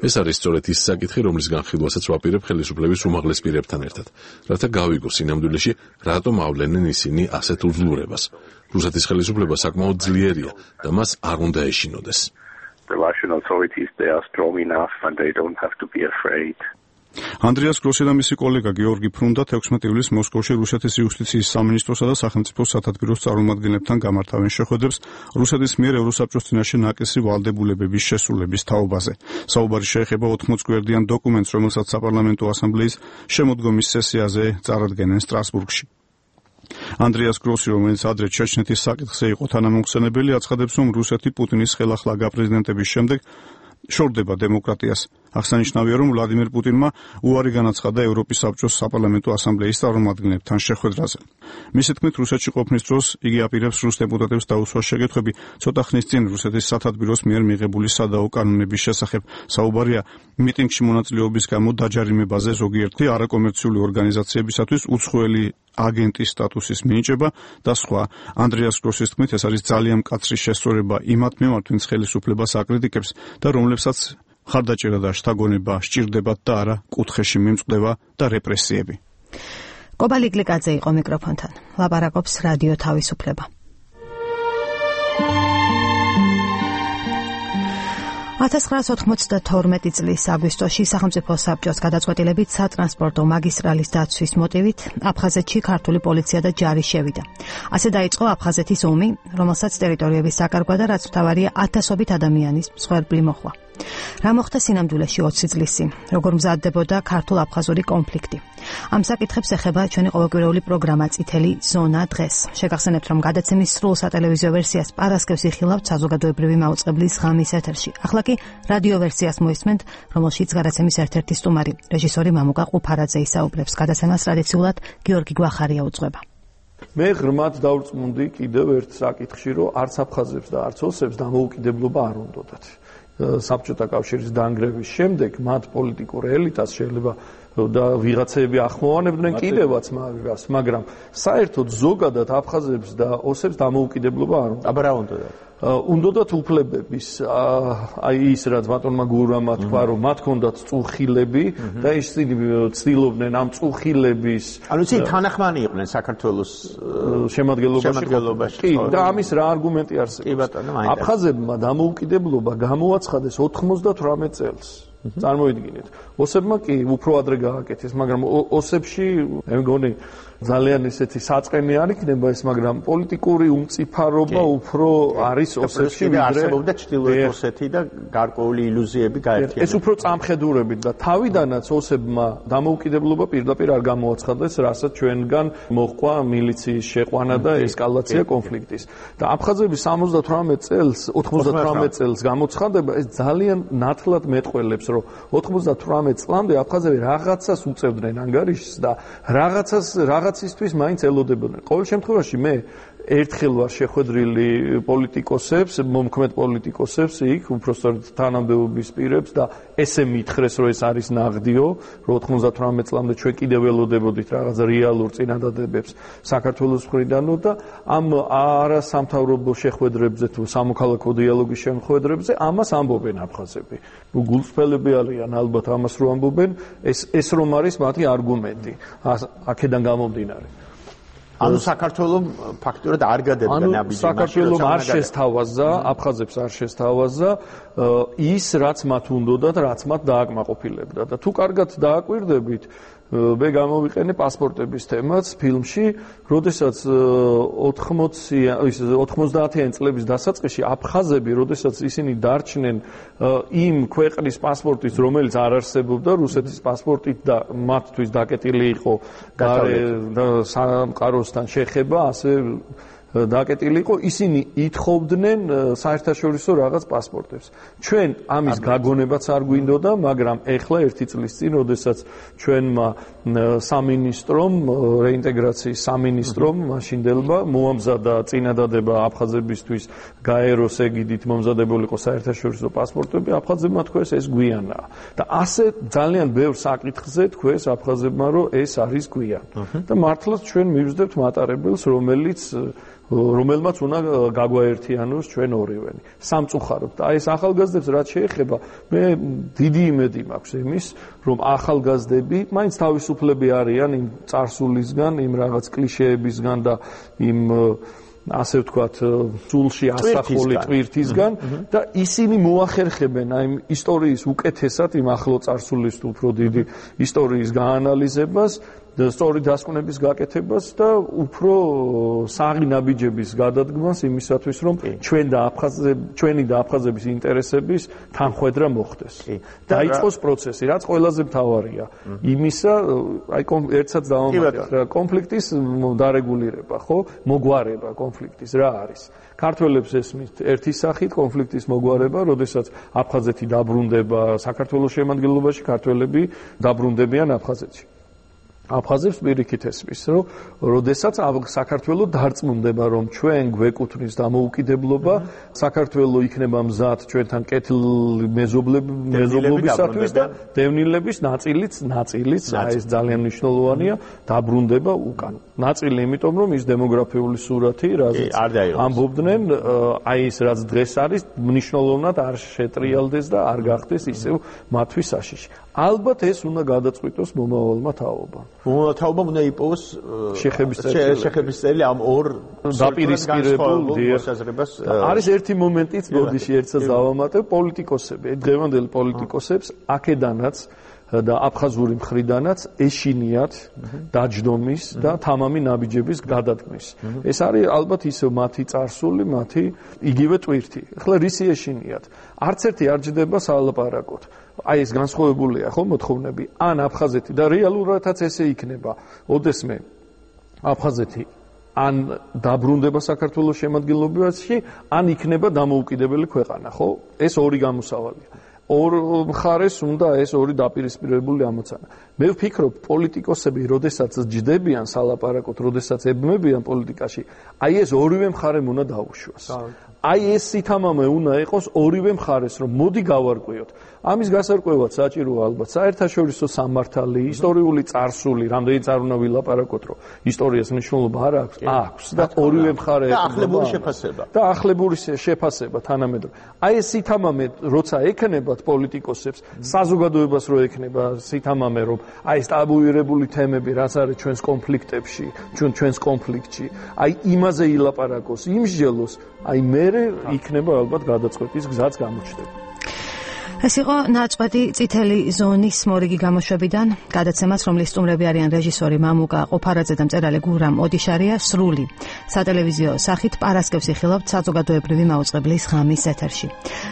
ეს არის სწორედ ის საკითხი, რომლის განხილვასაც ვაპირებ ხელისუფლების უმაღლეს პირებთან ერთად, რათა გავიგო სინამდვილეში, რატომ ავლენენ ისინი ასეთ უძლურებას. რუსეთის ხელისუფლება საკმაოდ ძლიერია და მას არ უნდა ეშინოდეს. The Russian authorities, they are strong enough and they don't have to be afraid. ანდრეას გროსი და მისი კოლეგა გეორგი ფრუნდა 16 ივლისს მოსკოვში რუსეთის იუსტიციის სამინისტროსა და სახელმწიფო სათათბიროს წარმომადგენლებთან გამართავენ შეხვედრებს რუსეთის მიერ ევროსაბჭოს წინაშე ნაკისრი ვალდებულებების შესრულების თაობაზე. საუბარი შეეხება 80 გვერდიან დოკუმენტს, რომელსაც საპარლამენტო ასამბლეის შემოდგომის სესიაზე წარადგენენ სტრასბურგში. ანდრეას გროსი, რომელიც ადრე ჩეჩნეთის საკითხზე იყო თანამომხსენებელი, აცხადებს, რომ რუსეთი პუტინის ხელახლა გაპრეზიდენტების შემდეგ შორდება დემოკრატიას. აღსანიშნავია, რომ ვლადიმერ პუტინმა უარი განაცხადა ევროპის საბჭოს საპარლამენტო ასამბლეის წარმომადგენლებთან შეხვედრაზე. მისი თქმით, რუსეთში ყოფნის დროს იგი აპირებს რუს დეპუტატებს დაუსვას შეკითხვები ცოტა ხნის წინ რუსეთის სათათბიროს მიერ მიღებული სადაო კანონების შესახებ. საუბარია მიტინგში მონაწილეობის გამო დაჯარიმებაზე ზოგიერთი არაკომერციული ორგანიზაციებისათვის უცხოელი აგენტის სტატუსის მინიჭება და სხვა. ანდრეას გროსის თქმით, ეს არის ძალიან მკაცრი შესწორება იმათ მიმართ, ვინც ხელისუფლებას აკრიტიკებს და რომლებსაც ხარდაჭერა და შთაგონება სჭირდებათ და არა კუთხეში მიმწყდება და რეპრესიები. კობალი კლიკაძე იყო მიკროფონთან. ლაპარაკობს რადიო თავისუფლება. 1992 წლის აგვისტოში სახელმწიფო საბჭოს გადაწყვეტილებით სატრანსპორტო მაგისტრალის დაცვის მოტივით აფხაზეთში ქართული პოლიცია და ჯარი შევიდა. ასე დაიწყო აფხაზეთის ომი, რომელსაც ტერიტორიების საკარგვა და რაც მთავარია ათასობით ადამიანის მსხვერპლი მოჰყვა. რა მოხდა სინამდვილეში 20 წლის წინ, როგორ მზადდებოდა ქართულ-აფხაზური კონფლიქტი. ამ საკითხებს ეხება ჩვენი ყოველკვირეული პროგრამა წითელი ზონა დღეს. შეგახსენებთ, რომ გადაცემის სრულ სატელევიზიო ვერსიას პარასკევს იხილავთ საზოგადოებრივი მაუწყებლის ღამის ეთერში. ახლა კი რადიო ვერსიას მოისმენთ, რომელშიც გადაცემის ერთ-ერთი სტუმარი, რეჟისორი მამუკა ყუფარაძე ისაუბრებს. გადაცემას ტრადიციულად გიორგი გვახარია უძღვება. მე ღრმად დავრწმუნდი კიდევ ერთ საკითხში, რომ არც აფხაზებს და არც ოსებს დამოუკიდებლობა არ უნდათ. საბჭოთა კავშირის დანგრევის შემდეგ მათ პოლიტიკურ ელიტას შეიძლება და ვიღაცები ახმოვანებდნენ კიდევაც მაგას, მაგრამ საერთოდ ზოგადად აფხაზებს და ოსებს დამოუკიდებლობა არ უნდა. აბა რა უნდათ? უნდათ უფლებების, აი ის რაც ბატონმა გურამმა თქვა, რომ მათ ჰქონდათ წუხილები და ისინი ცდილობდნენ ამ წუხილების, ანუ ისინი თანახმანი იყვნენ საქართველოს შემადგენლობაში. კი, და ამის რა არგუმენტი არსებობს? კი ბატონო, მაინც. აფხაზებმა დამოუკიდებლობა გამოაცხადეს 98 წელს. წარმოიდგინეთ. ოსებმა კი უფრო ადრე გააკეთეს, მაგრამ ოსებში მე მგონი ძალიან ისეთი საწყენი არ იქნება ეს, მაგრამ პოლიტიკური უმწიფარობა უფრო არის ოსებში ვიდრე არსებობდა ჩრდილოეთ ოსეთი და გარკვეული ილუზიები გაერთიანდა. ეს უფრო წამხედურებით და თავიდანაც ოსებმა დამოუკიდებლობა პირდაპირ არ გამოაცხადეს, რასაც ჩვენგან მოჰყვა მილიციის შეყვანა და ესკალაცია კონფლიქტის. და აფხაზების 98 წელს გამოცხადება ეს ძალიან ნათლად მეტყველებს, რომ 98 წლამდე აფხაზები რაღაცას უწევდნენ ანგარიშს და რაღაცისთვის მაინც ელოდებოდნენ. ყოველ შემთხვევაში მე ერთხელ ვარ შეხვედრილი პოლიტიკოსებს, მომქმედ პოლიტიკოსებს იქ, უпростоრად თანამდებობის პირებს და ესე მითხრეს, რომ ეს არის ნაღდიო, რომ 98 წლამდე ჩვენ კიდევ ველოდებოდით რაღაც რეალურ წინადადებებს საქართველოს მხრიდანო და ამ არასამთავრობო შეხვედრებზე თუ სამოქალაქო დიალოგის შეხვედრებზე ამას ამბობენ აფხაზები. გულწრფელები არიან ალბათ ამას რო ამბობენ, ეს რომ არის მათი არგუმენტი. აქედან გამომდინარე. ანუ საქართველოს ფაქტურად არ გადებდა ნაბიჯი. საქართველოს არ შესთავაზა, აფხაზებს არ შესთავაზა ის, რაც მათ უნდათ, რაც მათ დააკმაყოფილებდა. და თუ კარგად დააკვირდებით, მე გამოვიყენე პასპორტების თემაც ფილმში, როდესაც 90-იან წლების დასაწყისში აფხაზები, როდესაც ისინი დარჩნენ იმ ქვეყნის პასპორტით, რომელიც არ არსებობდა, რუსეთის პასპორტით და მათთვის დაკეტილი იყო სამყაროსთან შეხება, ასე დაკეტილი იყო, ისინი ითხოვდნენ საერთაშორისო რაღაც პასპორტებს. ჩვენ ამის გაგონებაც არ გვინდოდა, მაგრამ ეხლა ერთი წლის წინ, როდესაც ჩვენმა სამინისტრომ, რეინტეგრაციის სამინისტრომ, მაშინდელმა მოამზადა წინადადება აფხაზებისთვის გაეროს ეგიდით მომზადებული იყო საერთაშორისო პასპორტები, აფხაზებმა თქვეს ეს გვიანაა. და ასე ძალიან ბევრ საკითხზე თქვეს აფხაზებმა, რომ ეს არის გვიან. და მართლაც ჩვენ მივსდებთ მატარებელს, რომელმაც უნდა გაგვაერთიანოს ჩვენ ორივენი. სამწუხაროდ. აი ეს ახალგაზრდებს რაც შეეხება, მე დიდი იმედი მაქვს იმის, რომ ახალგაზრდები მაინც თავისუფლები არიან იმ წარსულისგან, იმ რაღაც კლიშეებისგან და იმ ასე ვთქვათ, სულში ასახული ტვირთისგან და ისინი მოახერხებენ აი ისტორიის უკეთესად იმ ახლო წარსულის უფრო დიდი ისტორიის გაანალიზებას და სწორი დასკვნების გაკეთებას და უფრო საღი ნაბიჯების გადადგმას იმისათვის, რომ ჩვენი და აფხაზების ინტერესების თანხვედრა მოხდეს. დაიწყოს პროცესი, რაც ყველაზე მთავარია. იმისა, აი ერთსაც დავამატებ, კონფლიქტის დარეგულირება, ხო? მოგვარება კონფლიქტის რა არის? ქართველებს ესმით ერთი სახით კონფლიქტის მოგვარება, როდესაც აფხაზეთი დაბრუნდება საქართველოს შემადგენლობაში, ქართველები დაბრუნდებიან აფხაზეთში. აფხაზებს პირიქით ესმის, რომ როდესაც საქართველო დარწმუნდება, რომ ჩვენ გვეკუთვნის დამოუკიდებლობა, საქართველო იქნება მზად ჩვენთან კეთილ მეზობლობისათვის და დევნილების ნაწილიც, აი ეს ძალიან მნიშვნელოვანია, დაბრუნდება უკან. ნაწილი იმიტომ, რომ ის დემოგრაფიული სურათი, რაზეც ამბობდნენ, აი ეს რაც დღეს არის, მნიშვნელოვნად არ შეტრიალდეს და არ გახდეს ისევ მათთვის საშიში. ალბათ ეს უნდა გადაწყვიტოს მომავალმა თაობამ. მოთაობა უნდა იპოვოს შეხების წელი ამ ორ დაპირისპირებულ მოსაზრებას. არის ერთი მომენტიც, ბოდიში ერთსაც დავამატებ, პოლიტიკოსები, დღევანდელი პოლიტიკოსებს აქედანაც და აფხაზური მხრიდანაც ეშინიათ დაჯდომის და თამამი ნაბიჯების გადადგმის. ეს არის ალბათ ისევ მათი წარსული, მათი იგივე ტვირთი. ახლა რისი ეშინიათ? არც ერთი არ ჯდება სალაპარაკოთ. აი ეს განსხვავებულია ხო მოთხოვნები ან აფხაზეთი და რეალურადაც ესე იქნება. ოდესმე აფხაზეთი ან დაბრუნდება საქართველოს შემადგენლობაში, ან იქნება დამოუკიდებელი ქვეყანა, ხო? ეს ორი გამოსავალია. ორ მხარეს უნდა ეს ორი დაპირისპირებული ამოცანა. მე ვფიქრობ, პოლიტიკოსები, როდესაც ჯდებიან სალაპარაკოთ, როდესაც ებმებიან პოლიტიკაში, აი ეს ორივე მხარემ უნდა დაუშვას. აი ეს სითამამე უნდა იყოს ორივე მხარეს, რომ მოდი გავარკვიოთ. ამის გასარკვევად საჭიროა ალბათ საერთაშორისო სამართალი, ისტორიული წარსული, რამდენიც არ უნდა ვილაპარაკოთ, რომ ისტორიას მნიშვნელობა არ აქვს, აქვს და ორივე მხარე და ახლებური შეფასება. და ახლებური შეფასება თანამედროვე. აი ეს სითამამე როცა ექნებათ პოლიტიკოსებს, საზოგადოებას რო ექნება სითამამე, რომ აი ეს ტაბუირებული თემები, რაც არის ჩვენს კონფლიქტებში, ჩვენს კონფლიქტში, აი იმაზე ილაპარაკოს, იმსჯელოს, აი მე იქნება ალბათ გადაწყვეტის გზაც გამოჩნდება. ეს იყო ნაწყვეტი წითელი ზონის მორიგი გამოშვებიდან გადაცემას, რომლის სტუმრები არიან რეჟისორი მამუკა ყოფარაძე და მწერალი გურამ ოდიშარია, სრული სატელევიზიო სახით პარასკევს იხილავთ საზოგადოებრივი მაუწყებლის ღამის ეთერში.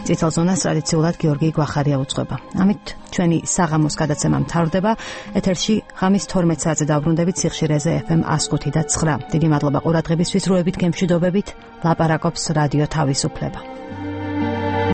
წითელ ზონას ტრადიციულად გიორგი გვახარია უძღვება. ამით ჩვენი საღამოს გადაცემა მთავრდება. ეთერში ღამის 12 საათზე დავბრუნდებით სიხშირეზე FM 105 და 9. დიდი მადლობა ყურადღებისთვის, დროებით გემშვიდობებით. ლაპარაკობს რადიო თავისუფლება.